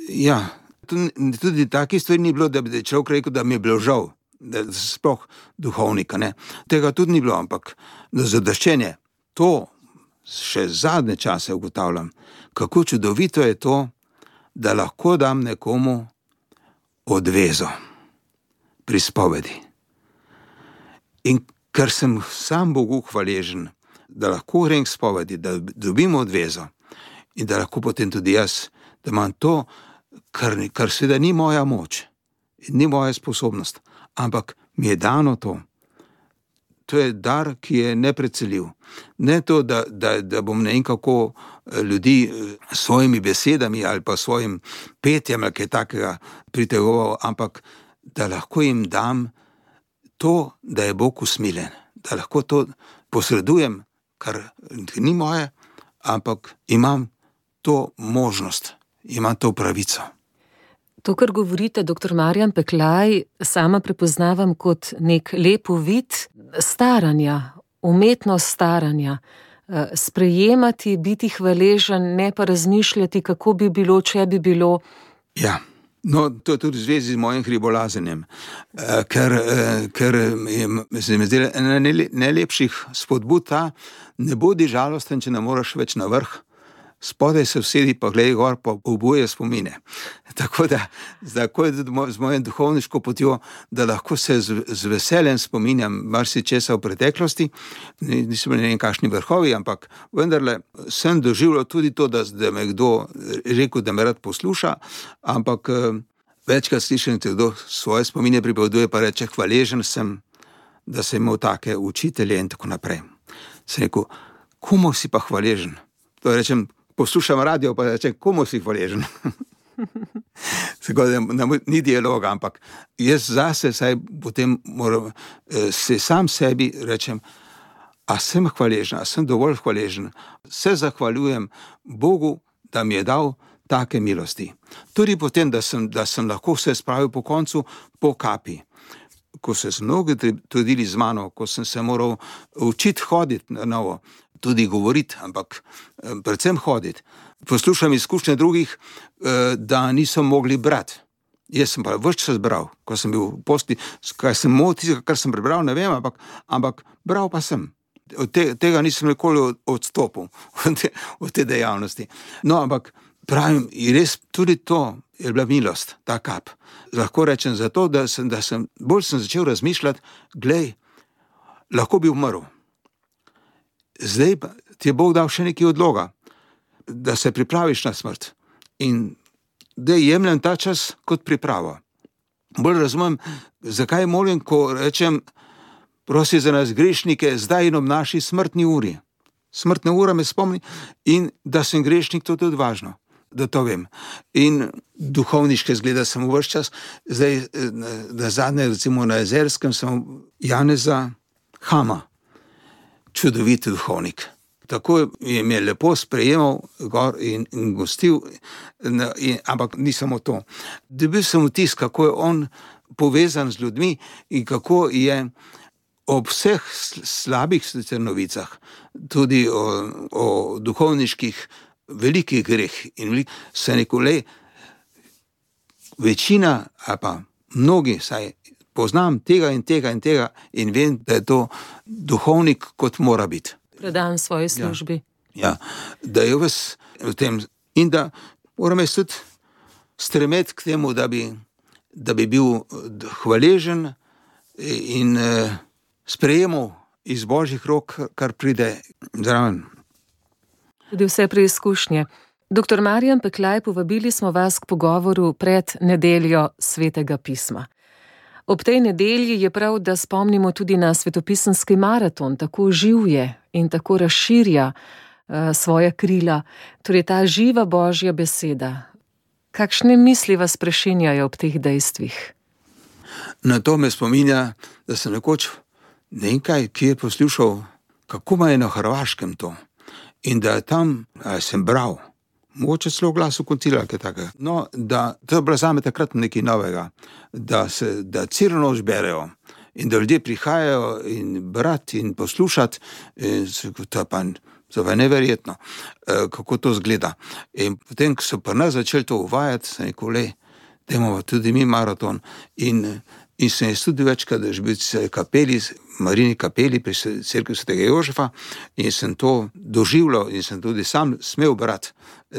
Ja, tudi, tudi taki stvari ni bilo, da bi človek rekel, da mi je bilo žal, da sploh duhovnika, ne. Tega tudi ni bilo, ampak zadoščenje, to še zadnje čase ugotavljam, kako čudovito je to, da lahko dam nekomu odvezo pri spovedi. In ker sem sam Bogu hvaležen, da lahko grem k spovedi, da dobim odvezo in da lahko potem tudi jaz, da imam to, kar, kar seveda ni moja moč, ni moja sposobnost, ampak mi je dano to. To je dar, ki je nepreceljiv. Ne to, da, da, da bom ne vem kako ljudi svojimi besedami ali pa svojim petjem ali kaj takega pritegoval, ampak da lahko jim dam to, da je Bog usmilen, da lahko to posredujem, kar ni moje, ampak imam to možnost, imam to pravico. To, kar govorite, doktor Marjan Peklaj, sama prepoznavam kot nek lep uvid staranja, umetnost staranja, sprejemati, biti hvaležen, ne pa razmišljati, kako bi bilo, če bi bilo. Ja, no, to je tudi v zvezi z mojim hribolazenjem, ker, ker se mi zdi ena najlepših spodbud ta, ne bodi žalosten, če ne moraš več na vrh, spodaj se vsedi, pa glej gor, pa obuje spomine. Tako da, tako je tudi z mojim duhovniško potjo, da lahko se z, z veseljem spominjam marsičesa v preteklosti, nisem bili nekaj kakšni vrhovi, ampak vendarle sem doživljal tudi to, da, da me kdo rekel, da me rad posluša, ampak večkrat slišim, da kdo svoje spomine pripoveduje, pa reče, hvaležen sem, da sem imel take učitelje in tako naprej. Sem rekel, komu si pa hvaležen? To rečem, poslušam radio, pa rečem, komu si hvaležen? Tako da ni dialoga, ampak jaz zase saj potem moram se sam sebi rečem, a sem hvaležen, a sem dovolj hvaležen, se zahvaljujem Bogu, da mi je dal take milosti. Tudi potem, da sem, da sem lahko se spravil po koncu po kapi. Ko se so mnogi trudili z mano, ko sem se moral učiti hoditi na novo, tudi govoriti, ampak predvsem hoditi. Poslušam izkušnje drugih, da niso mogli brati. Jaz sem pa več čas bral, ko sem bil v posti, kaj sem motil, kar sem prebral, ne vem, ampak, ampak bral pa sem. Od te, tega nisem nikoli odstopil, od te, od te dejavnosti. No, ampak pravim, res tudi to je bila milost, ta kap. Lahko rečem zato, da sem, da sem bolj sem začel razmišljati, glej, lahko bi umrl. Zdaj pa ti je Bog dal še nekaj odloga, da se pripraviš na smrt. In da jemljem ta čas kot pripravo. Bolj razumem, zakaj molim, ko rečem, prosi za nas grešnike, zdaj in ob naši smrtni uri. Smrtna ura me spomni in da sem grešnik, to je tudi važno, da to vem. In duhovniške zgleda sem v vaš čas, zdaj na zadnje, recimo na Jezerskem, sem Janeza Hama, čudoviti duhovnik. Tako je me lepo sprejemal gor in, in gostil, in, ampak ni samo to. Dobil sem vtis, kako je on povezan z ljudmi in kako je ob vseh slabih novicah, tudi o, o duhovniških velikih greh in velik, se nekole večina, ali pa mnogi, saj poznam tega in tega in tega in vem, da je to duhovnik, kot mora biti. Predan svoji službi. Ja, ja, da je ves v tem in da moram jaz tudi stremeti k temu, da bi, da bi bil hvaležen in eh, sprejemal iz Božjih rok, kar pride zraven. Tudi vse preizkušnje. Doktor Marjan Peklaj, povabili smo vas k pogovoru pred nedeljo Svetega pisma. Ob tej nedelji je prav, da spomnimo tudi na svetopisemski maraton, tako živ je in tako razširja uh, svoja krila. Torej ta živa Božja beseda. Kakšne misli vas prešinjajo ob teh dejstvih? Na to me spominja, da sem nekoč nekaj, ki je poslušal, kako ma je na Hrvaškem to. In da je tam, a sem bral, mogoče celo Glasu koncilija, kaj takega. No, da to je bilo zame takrat nekaj novega, da se, da celo noč berejo in da ljudje prihajajo in brati in poslušati, in to je pa, to je pa neverjetno, kako to zgleda. In potem, ko so pa nas začeli to uvajati, sem rekel, le, dajmo tudi mi maraton. In, in sem jaz tudi večkrat, da je bil kapeli, Marini kapeli pri cerkvi svetega Jožefa, in sem to doživljal in sem tudi sam smel brati.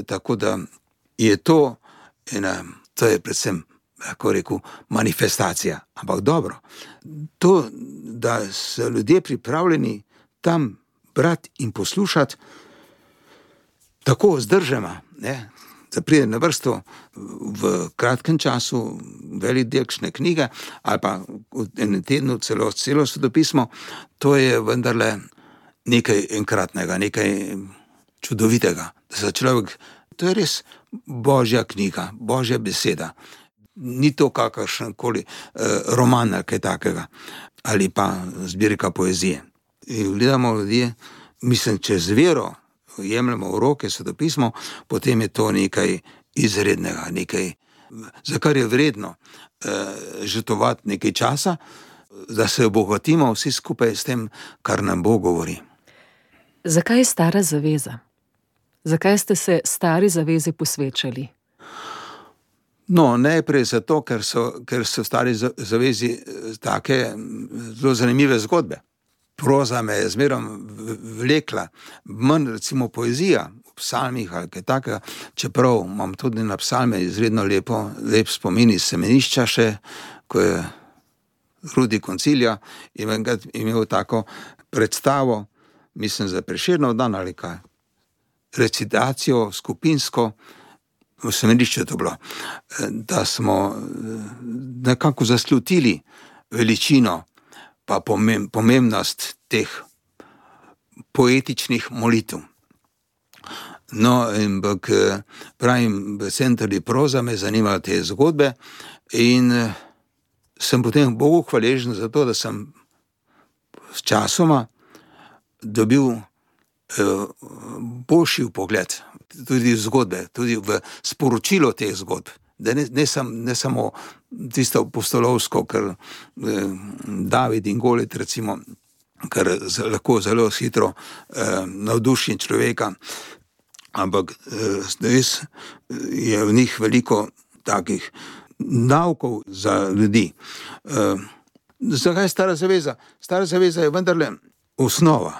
Tako da je to ena, to je predvsem, kako rekel, manifestacija. Ampak dobro, to, da so ljudje pripravljeni tam brati in poslušati, tako zdržema, ne, da pride na vrsto v kratkem času velik del kakšne knjige, ali pa v enem tednu celo, celo svetopismo, to je vendarle nekaj enkratnega, nekaj čudovitega. Da se človek, to je res Božja knjiga, Božja beseda. Ni to kakršenkoli eh, roman ali kaj takega, ali pa zbirka poezije. In gledamo ljudje, mislim, čez vero jemljamo v roke svetopismo, potem je to nekaj izrednega, nekaj, za kar je vredno eh, žrtvovati nekaj časa, da se obogatimo vsi skupaj s tem, kar nam Bog govori. Zakaj je Stara zaveza? Zakaj ste se Stari zavezi posvečali? No, najprej zato, ker so, ker so v Stari zavezi take zelo zanimive zgodbe. Proza me je zmerom vlekla, manj recimo poezija v psalmih ali kaj takega, čeprav imam tudi na psalme izredno lepo, lep spomin iz Semenišča še, ko je Rudi koncilija imel tako predstavo, mislim za Prešernov dan ali kaj, recitacijo skupinsko, v Semenišču je to bilo, da smo nekako zaslutili veličino pa pomembnost teh poetičnih molitev. No, in bak, pravim, sem tudi proza, me zanimajo te zgodbe in sem potem Bogu hvaležen za to, da sem s časoma dobil eh, boljši pogled tudi v zgodbe, tudi v sporočilo teh zgodb. Da ne, ne, sam, ne samo tisto apostolovsko, ker eh, David in Golit, recimo, kar z, lahko zelo hitro eh, navduši človeka, ampak eh, res je v njih veliko takih naukov za ljudi. Eh, zakaj Stara zaveza? Stara zaveza je vendarle osnova.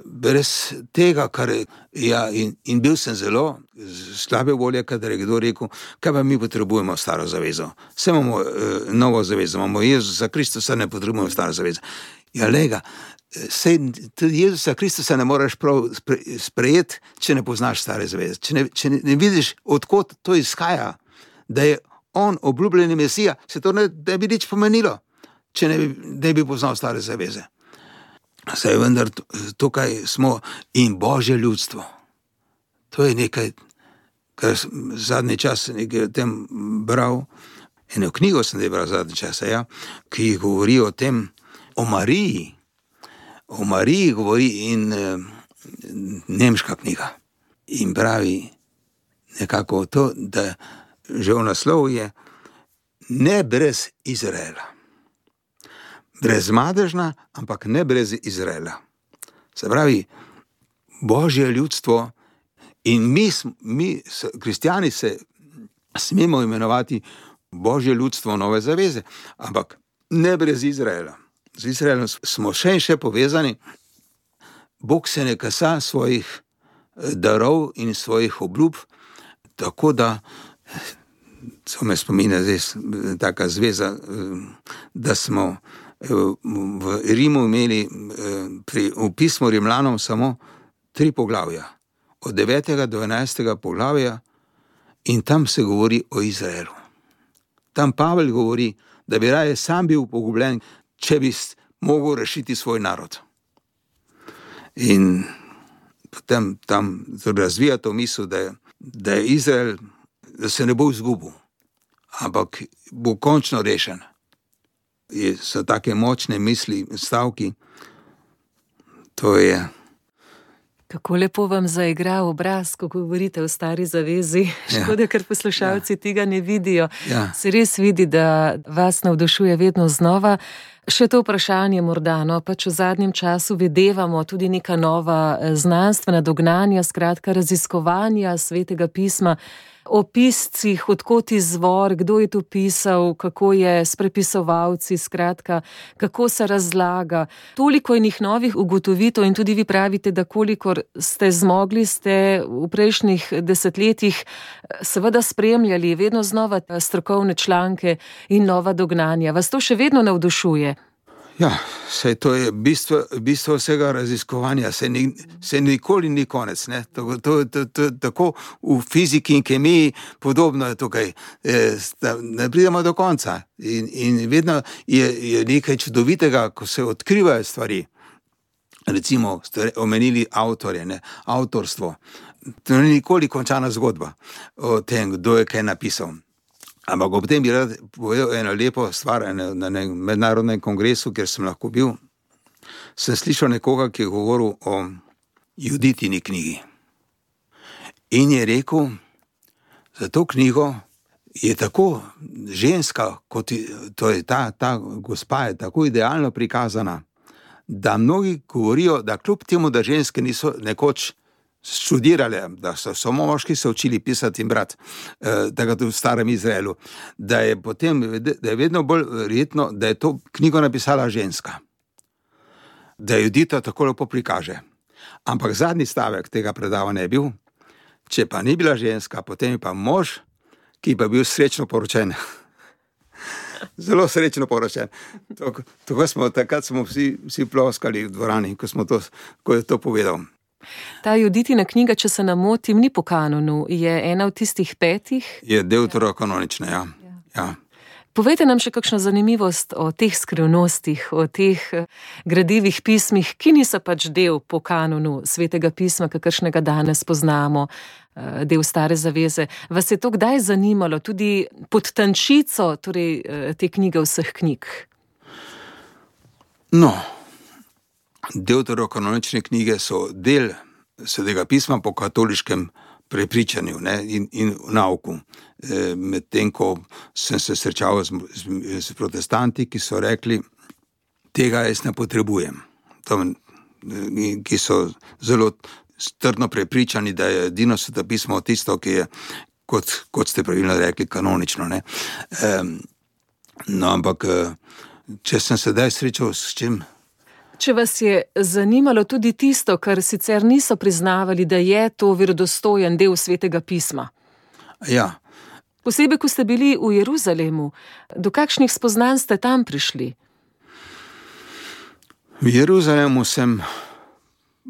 Brez tega, kar je, ja, in, in bil sem zelo slabe volje, kadar je kdo rekel, kaj pa mi potrebujemo Staro zavezo. Vse imamo eh, novo zavezo, imamo Jezusa Kristusa, ne potrebujemo Staro zavezo. Ja, lega, sej tudi Jezusa Kristusa ne moraš prav sprejeti, če ne poznaš Stare zaveze. Če ne, če ne vidiš, odkot to izhaja, da je on obljubljeni Mesija, se to ne, ne bi nič pomenilo, če ne bi, ne bi poznal Stare zaveze. Saj vendar tukaj smo in Božje ljudstvo. To je nekaj, kar zadnji čas nekaj o tem bral, eno knjigo sem bral zadnji čas, ja, ki govori o tem, o Mariji. O Mariji govori in eh, nemška knjiga. In pravi nekako to, da že v naslov je ne brez Izraela. Brez madežna, ampak ne brez Izraela. Se pravi, Božje ljudstvo in mi, mi kristjani se smemo imenovati Božje ljudstvo nove zaveze, ampak ne brez Izraela. Z Izraelom smo še in še povezani. Bog se ne kasa svojih darov in svojih obljub, tako da so me spominja zdaj taka zveza, da smo v Rimu imeli pri, v pismu Rimljanom samo tri poglavja, od devetega do enajstega poglavja, in tam se govori o Izraelu. Tam Pavel govori, da bi raje sam bil pogubljen, če bi mogel rešiti svoj narod. In potem tam razvija to misel, da je, da je Izrael da se ne bo izgubil, ampak bo končno rešen. Je, so take močne misli, stavki, to je... Kako lepo vam zaigra obraz, ko govorite o stari zavezi. Škoda, ker poslušalci ja. tega ne vidijo. Ja. Se res vidi, da vas navdušuje vedno znova. Še to vprašanje morda, no, pač v zadnjem času videvamo tudi neka nova znanstvena dognanja, skratka raziskovanja Svetega pisma, o piscih, odkot izvor, kdo je to pisal, kako je s prepisovalci, skratka, kako se razlaga. Toliko enih novih ugotovitev in tudi vi pravite, da kolikor ste zmogli, ste v prejšnjih desetletjih seveda spremljali vedno znova strokovne članke in nova dognanja. Vas to še vedno navdušuje? Ja, saj to je bistvo, bistvo vsega raziskovanja, se, ni, se nikoli ni konec. Ne? To, to, to, to, tako v fiziki in kemiji podobno je tukaj. E, sta, ne pridemo do konca in, in vedno je, je nekaj čudovitega, ko se odkrivajo stvari. Recimo ste omenili avtorje, ne? Avtorstvo. To ni nikoli končana zgodba o tem, kdo je kaj napisal. Ampak ob tem bi rad povedal eno lepo stvar na mednarodnem kongresu, kjer sem lahko bil. Sem slišal nekoga, ki je govoril o Juditini knjigi. In je rekel, za to knjigo je tako ženska, kot je, to je ta, ta gospa je tako idealno prikazana, da mnogi govorijo, da kljub temu, da ženske niso nekoč študirali, da so samo moški se učili pisati in brati, eh, tako tudi v starem Izraelu, da je potem, da je vedno bolj verjetno, da je to knjigo napisala ženska. Da Judita tako lepo prikaže. Ampak zadnji stavek tega predavanja je bil, če pa ni bila ženska, potem je pa mož, ki pa bil srečno poročen. Zelo srečno poročen. Tako smo, takrat smo vsi, vsi ploskali v dvorani, ko smo to, ko je to povedal. Ta Juditina knjiga, če se ne motim, ni po kanonu, je ena od tistih petih? Je deuterokanonična, ja. ja. ja. Povejte nam še kakšno zanimivost o teh skrivnostih, o teh gradivih pismih, ki niso pač del po kanonu Svetega pisma, kakršnega danes poznamo, del Stare zaveze. Vas je to kdaj zanimalo, tudi pod tančico, torej te knjige vseh knjig? No, deuterokanonične knjige so del Svetega pisma po katoliškem prepričanju, ne, in, in nauku. E, medtem, ko sem se srečal z, z, z protestanti, ki so rekli, tega jaz ne potrebujem. To, ki so zelo trdno prepričani, da je edino Sveto pismo tisto, ki je, kot, kot ste pravilno rekli, kanonično. Ne. E, no, ampak, če sem se daj srečal s čim? Če vas je zanimalo tudi tisto, kar sicer niso priznavali, da je to verodostojen del Svetega pisma. Ja. Posebej, ko ste bili v Jeruzalemu, do kakšnih spoznanj ste tam prišli? V Jeruzalemu sem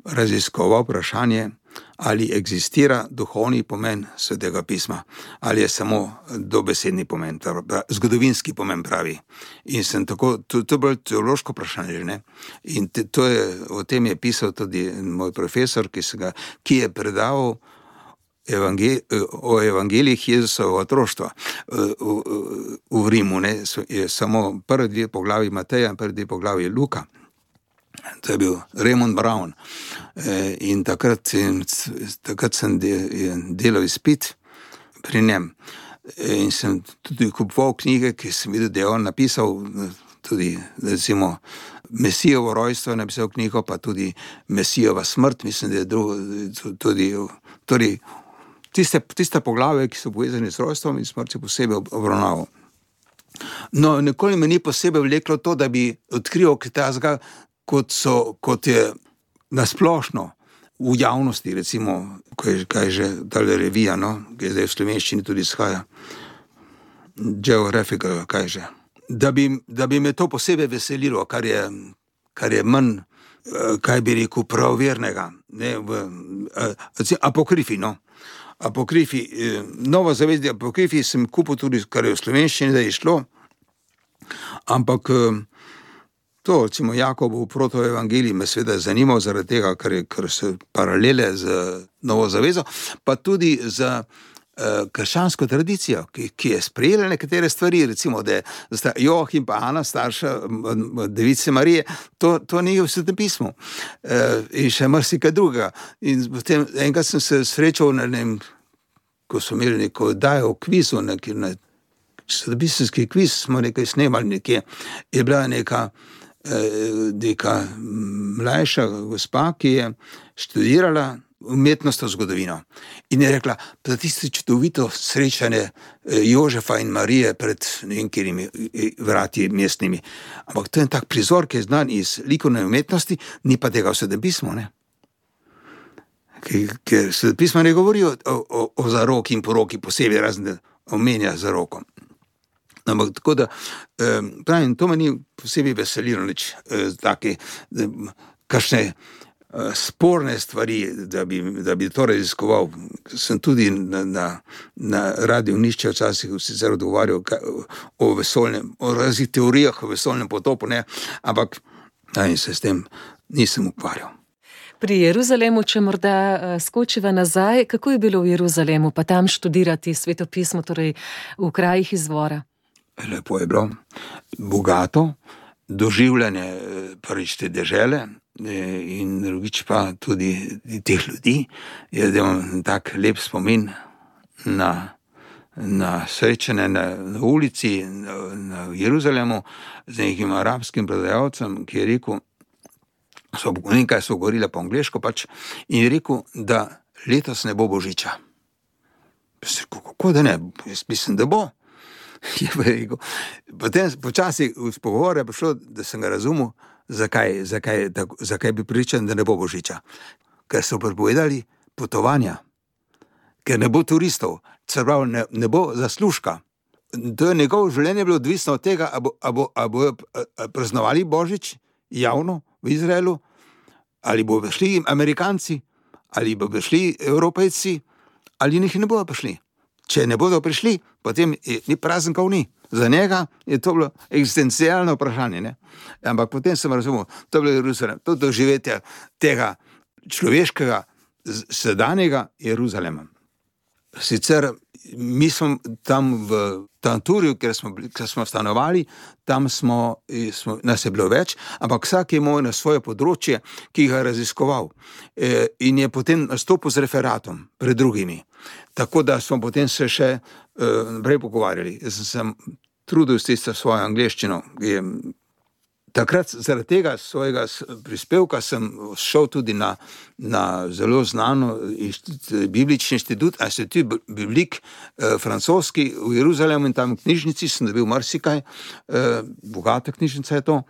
raziskoval vprašanje, ali eksistira duhovni pomen Svetega pisma, ali je samo dobesedni pomen, zgodovinski pomen pravi. In sem tako, to, to je bilo teološko vprašanje, ne? In te, to je, o tem je pisal tudi moj profesor, ki, ga, ki je predaval evangel, o evangelijih Jezusovega otroštva v, v, v Rimu, ne? Je samo prvi dve poglavji Mateja in prvi dve poglavji Luka. To je bil Raymond Brown in takrat, takrat sem delal izpit pri njem in sem tudi kupoval knjige, ki sem videl, da je on napisal, tudi recimo Mesijovo rojstvo je napisal knjigo, pa tudi Mesijova smrt, mislim, da je drugo, tudi, tudi tiste, tiste poglave, ki so povezani s rojstvom in smrti posebej obravnaval. No, nikoli me ni posebej vleklo to, da bi odkril kitajskega, kot so, kot je nasplošno v javnosti, recimo, ko je, kaj je že tale revija, no, ki je zdaj v slovenščini tudi izhaja, Geographical, kaj je že, da bi, da bi me to posebej veselilo, kar je, kar je manj, kaj bi rekel, pravovernega, ne, v apokrifi, no, apokrifi, Novo zavezje apokrifi sem kupil tudi, kar je v slovenščini, da je šlo, ampak to, recimo, Jakobov protoevangelij me seveda zanimal zaradi tega, ker, je, ker so paralele z Novo zavezo, pa tudi za krščansko tradicijo, ki, ki je sprejela nekatere stvari, recimo, da je Joachim pa Ana, starša device Marije, to, to ni v Svetem pismu. In še marsikaj drugega. In potem enkrat sem se srečal na nem, ko smo imeli neko dajo v kvizu, neki, na svetopisemski kviz, smo nekaj snemali nekje, je bila neka, neka mlajša gospa, ki je študirala umetnostno zgodovino. In je rekla, da tisto čudovito srečanje Jožefa in Marije pred nekimi vrati mestnimi. Ampak to je tak prizor, ki je znan iz likovne umetnosti, ni pa tega v Svetem pismu, ne? Ker Sveto pismo ne govori o, o, o zaroki in poroki posebej, razen da omenja zaroko. Ampak tako da, pravim, to me ni posebej veselilo, nič take, kakšne sporne stvari, da bi, da bi to raziskoval. Sem tudi na, na, na radiju Nišče včasih sicer odgovarjal o vesoljnem, o raznih teorijah o vesoljnem potopu, ne, ampak in se s tem nisem ukvarjal. Pri Jeruzalemu, če morda skočiva nazaj, kako je bilo v Jeruzalemu, pa tam študirati svetopismo, torej v krajih izvora? Lepo je bilo, bogato, doživljanje prvič te dežele, in drugič pa tudi teh ljudi. Jaz imam tak lep spomin na, na srečanje na, na ulici na, na Jeruzalemu z nekim arabskim prodajalcem, ki je rekel, so, nekaj so govorili po angleško pač, in je rekel, da letos ne bo božiča. Kako da ne? Jaz mislim, da bo. Je pa rekel. Potem počasi v pogovore je prišlo, da sem ga razumel, Zakaj, zakaj, tako, zakaj bi pričan, da ne bo božiča? Ker so prepovedali potovanja, ker ne bo turistov, pravi, ne, ne bo zaslužka. To je njegovo življenje bilo odvisno od tega, a bo, a bo, a bo praznovali božič javno v Izraelu, ali bo prišli Amerikanci, ali bo prišli Evropejci, ali njih ne bodo prišli. Če ne bodo prišli, potem je, ni prazenkov ni. Za njega je to bilo eksistencialno vprašanje, ne? Ampak potem sem razumel, to je bilo Jeruzalem, to doživetje tega človeškega, sedanjega Jeruzalema. Sicer mi smo tam v Tanturju, ker smo, ker smo stanovali, tam smo, smo, nas je bilo več, ampak vsak je imel na svoje področje, ki ga je raziskoval. E, in je potem nastopil z referatom pred drugimi. Tako da smo potem se še naprej uh, pogovarjali. Jaz sem, sem trudil s tisto svojo angleščino. Je, takrat zaradi tega svojega prispevka sem šel tudi na, na zelo znano inštitut, biblični inštitut, Institut Biblique, eh, francoski v Jeruzalemu, in tam v knjižnici sem dobil marsikaj, eh, bogata knjižnica je to.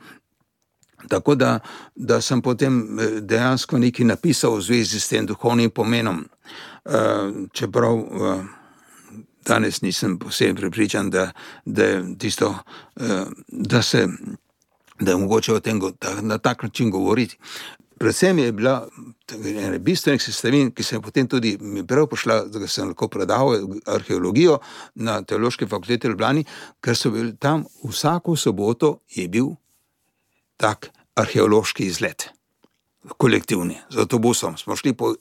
Tako da, da sem potem dejansko nekaj napisal v zvezi s tem duhovnim pomenom. Uh, čeprav uh, danes nisem posebej prepričan, da, da je tisto, uh, da se, da je mogoče o tem da, na tak način govoriti. Predvsem je bila ena bistvenih sestavin, ki se je potem tudi mi prav pošla, da sem lahko predaval arheologijo na Teološki fakulteti v Ljubljani, ker so bili tam vsako soboto je bil tak arheološki izlet, kolektivni, z avtobusom. Smo šli po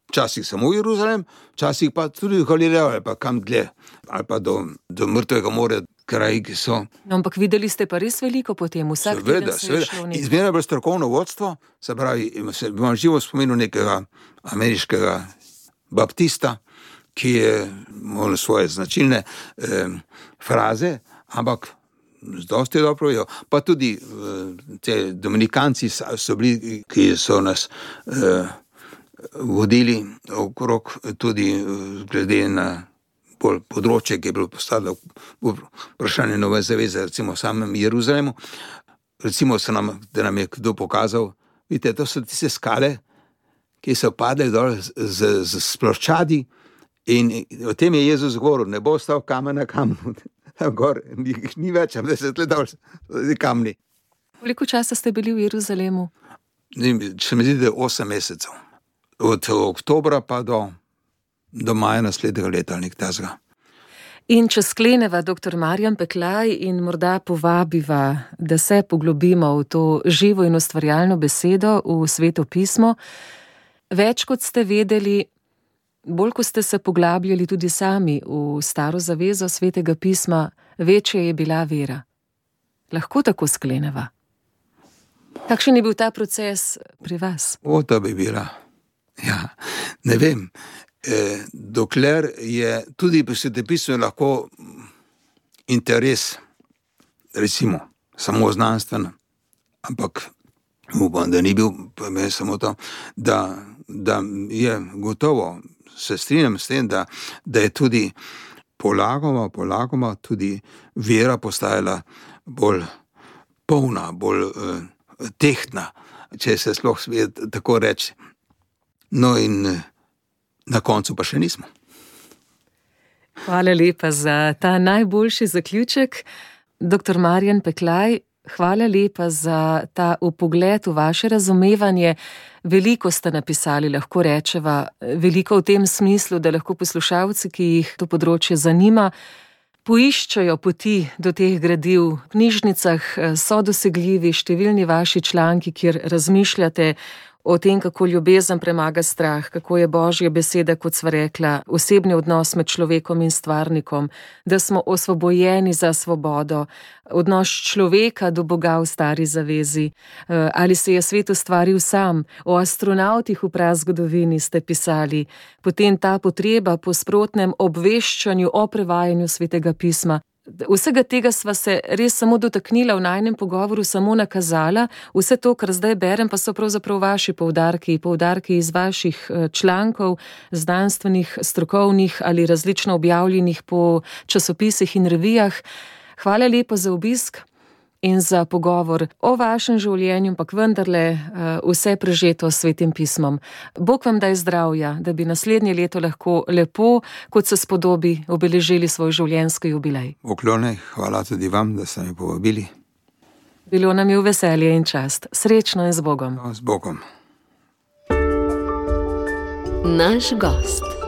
včasih samo v Jeruzalem, včasih pa tudi v Galilejo, ali pa kam dlje, ali pa do, do Mrtvega morja, kraji, ki so. No, ampak videli ste pa res veliko potem, vsak teden se je šlo nekaj. Izmerno je bilo strokovno vodstvo, se pravi, imam živo spominu nekega ameriškega baptista, ki je imel svoje značilne eh, fraze, ampak dosti dobro vejo. Pa tudi eh, te dominikanci so bili, ki so nas eh, vodili okrog tudi glede na bolj področje, ki je bilo postavljeno vprašanje nove zaveze, recimo v samem Jeruzalemu. Recimo se nam, da nam je kdo pokazal, vidite, to so tiste skale, ki so padle dol z, z, z sploščadi, in o tem je Jezus govoril, ne bo ostal kamen na kamnu, tam gor, jih ni več, da se tle dol kamni. Koliko časa ste bili v Jeruzalemu? Če mi zdi, da je osem mesecev. Od oktobra pa do, do maja naslednjega leta, nek tazga. In če skleneva doktor Marjan Peklaj in morda povabiva, da se poglobimo v to živo in ustvarjalno besedo v Sveto pismo, več kot ste vedeli, bolj ko ste se poglabljali tudi sami v staro zavezo Svetega pisma, večja je bila vera. Lahko tako skleneva. Kakšen je bil ta proces pri vas? O, to bi bila. Ja, ne vem. E, dokler je tudi pri Svetem pismu lahko interes, recimo, samo znanstveno, ampak upam, da ni bil samo to, da, da je gotovo, se strinjam s tem, da, da je tudi polagoma, polagoma tudi vera postajala bolj polna, bolj uh, tehtna, če se sploh sme tako reči. No in uh, na koncu pa še nismo. Hvala lepa za ta najboljši zaključek. Doktor Marjan Peklaj, hvala lepa za ta vpogled v vaše razumevanje. Veliko ste napisali, lahko rečeva, veliko v tem smislu, da lahko poslušalci, ki jih to področje zanima, poiščajo poti do teh gradiv. V knjižnicah so dosegljivi številni vaši članki, kjer razmišljate o tem, kako ljubezen premaga strah, kako je Božja beseda, kot sva rekla, osebni odnos med človekom in stvarnikom, da smo osvobojeni za svobodo, odnos človeka do Boga v stari zavezi, ali se je svet ustvaril sam, o astronavtih v prazgodovini ste pisali, potem ta potreba po sprotnem obveščanju o prevajanju Svetega pisma. Vsega tega sva se res samo dotaknila v najnem pogovoru, samo nakazala. Vse to, kar zdaj berem, pa so pravzaprav vaši poudarki, poudarki iz vaših člankov, znanstvenih, strokovnih ali različno objavljenih po časopisih in revijah. Hvala lepo za obisk in za pogovor o vašem življenju, ampak vendarle vse prežeto s Svetim pismom. Bog vam daj zdravja, da bi naslednje leto lahko lepo, kot se spodobi, obeležili svoj življenjski jubilej. Poklone, hvala tudi vam, da ste me povabili. Bilo nam je v veselje in čast. Srečno in z Bogom. No, z Bogom. Naš gost.